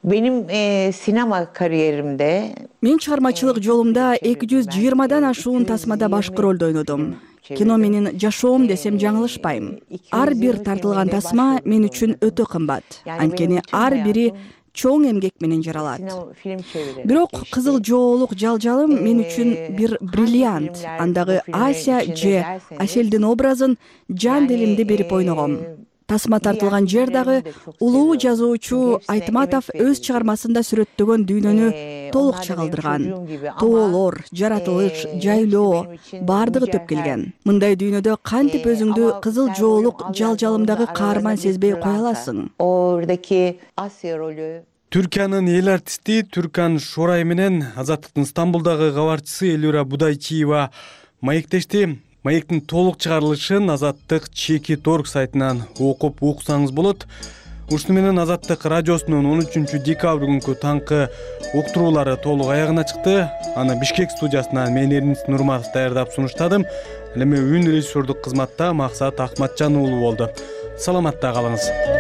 F: Benim e, sinema kariyerimde
P: мен чыгармачылык жолумда эки жүз жыйырмадан ашуун тасмада башкы ролду ойнодум. Кино менин жашоом десем жаңылышпайм. Ар бир тартылган тасма мен үчүн өтө кымбат. Анткени ар бири чоң эмгек менен жаралат. Бирок Кызыл жоолук жалжалым мен үчүн бир бриллиант. Андагы Ася же Аселдин образын жан делимди берип ойногом. Тасма тартылган жер дагы улуу жазуучу Айтматов өз чыгармасында сүрөттөгөн дүйнөнү толук чагылдырган. Тоолор, жаратылыш, жайлоо бардыгы төп келген. Мындай дүйнөдө кантип өзүңдү кызыл жоолук жал-жалымдагы каарман сезбей кое аласың?
F: Oradaki Asya rolü
A: Түркиянын эл артисти Түркан Шорай менен Азаттыктын Стамбулдагы кабарчысы Элюра Будайчиева маектешти. Маектин толук чыгарылышын Азаттык чеки точка орг сайтынан окуп уксаңыз болот. Ушуну менен Азаттык радиосунун он үчүнчү декабрь күнкү таңкы уктуруулары толук аягына чыкты. Аны Бишкек студиясынан мен Эрнис Нурматов даярдап сунуштадым. Ал эми үн режиссердук кызматта Максат Акматжан уулу болду. Саламатта калыңыз.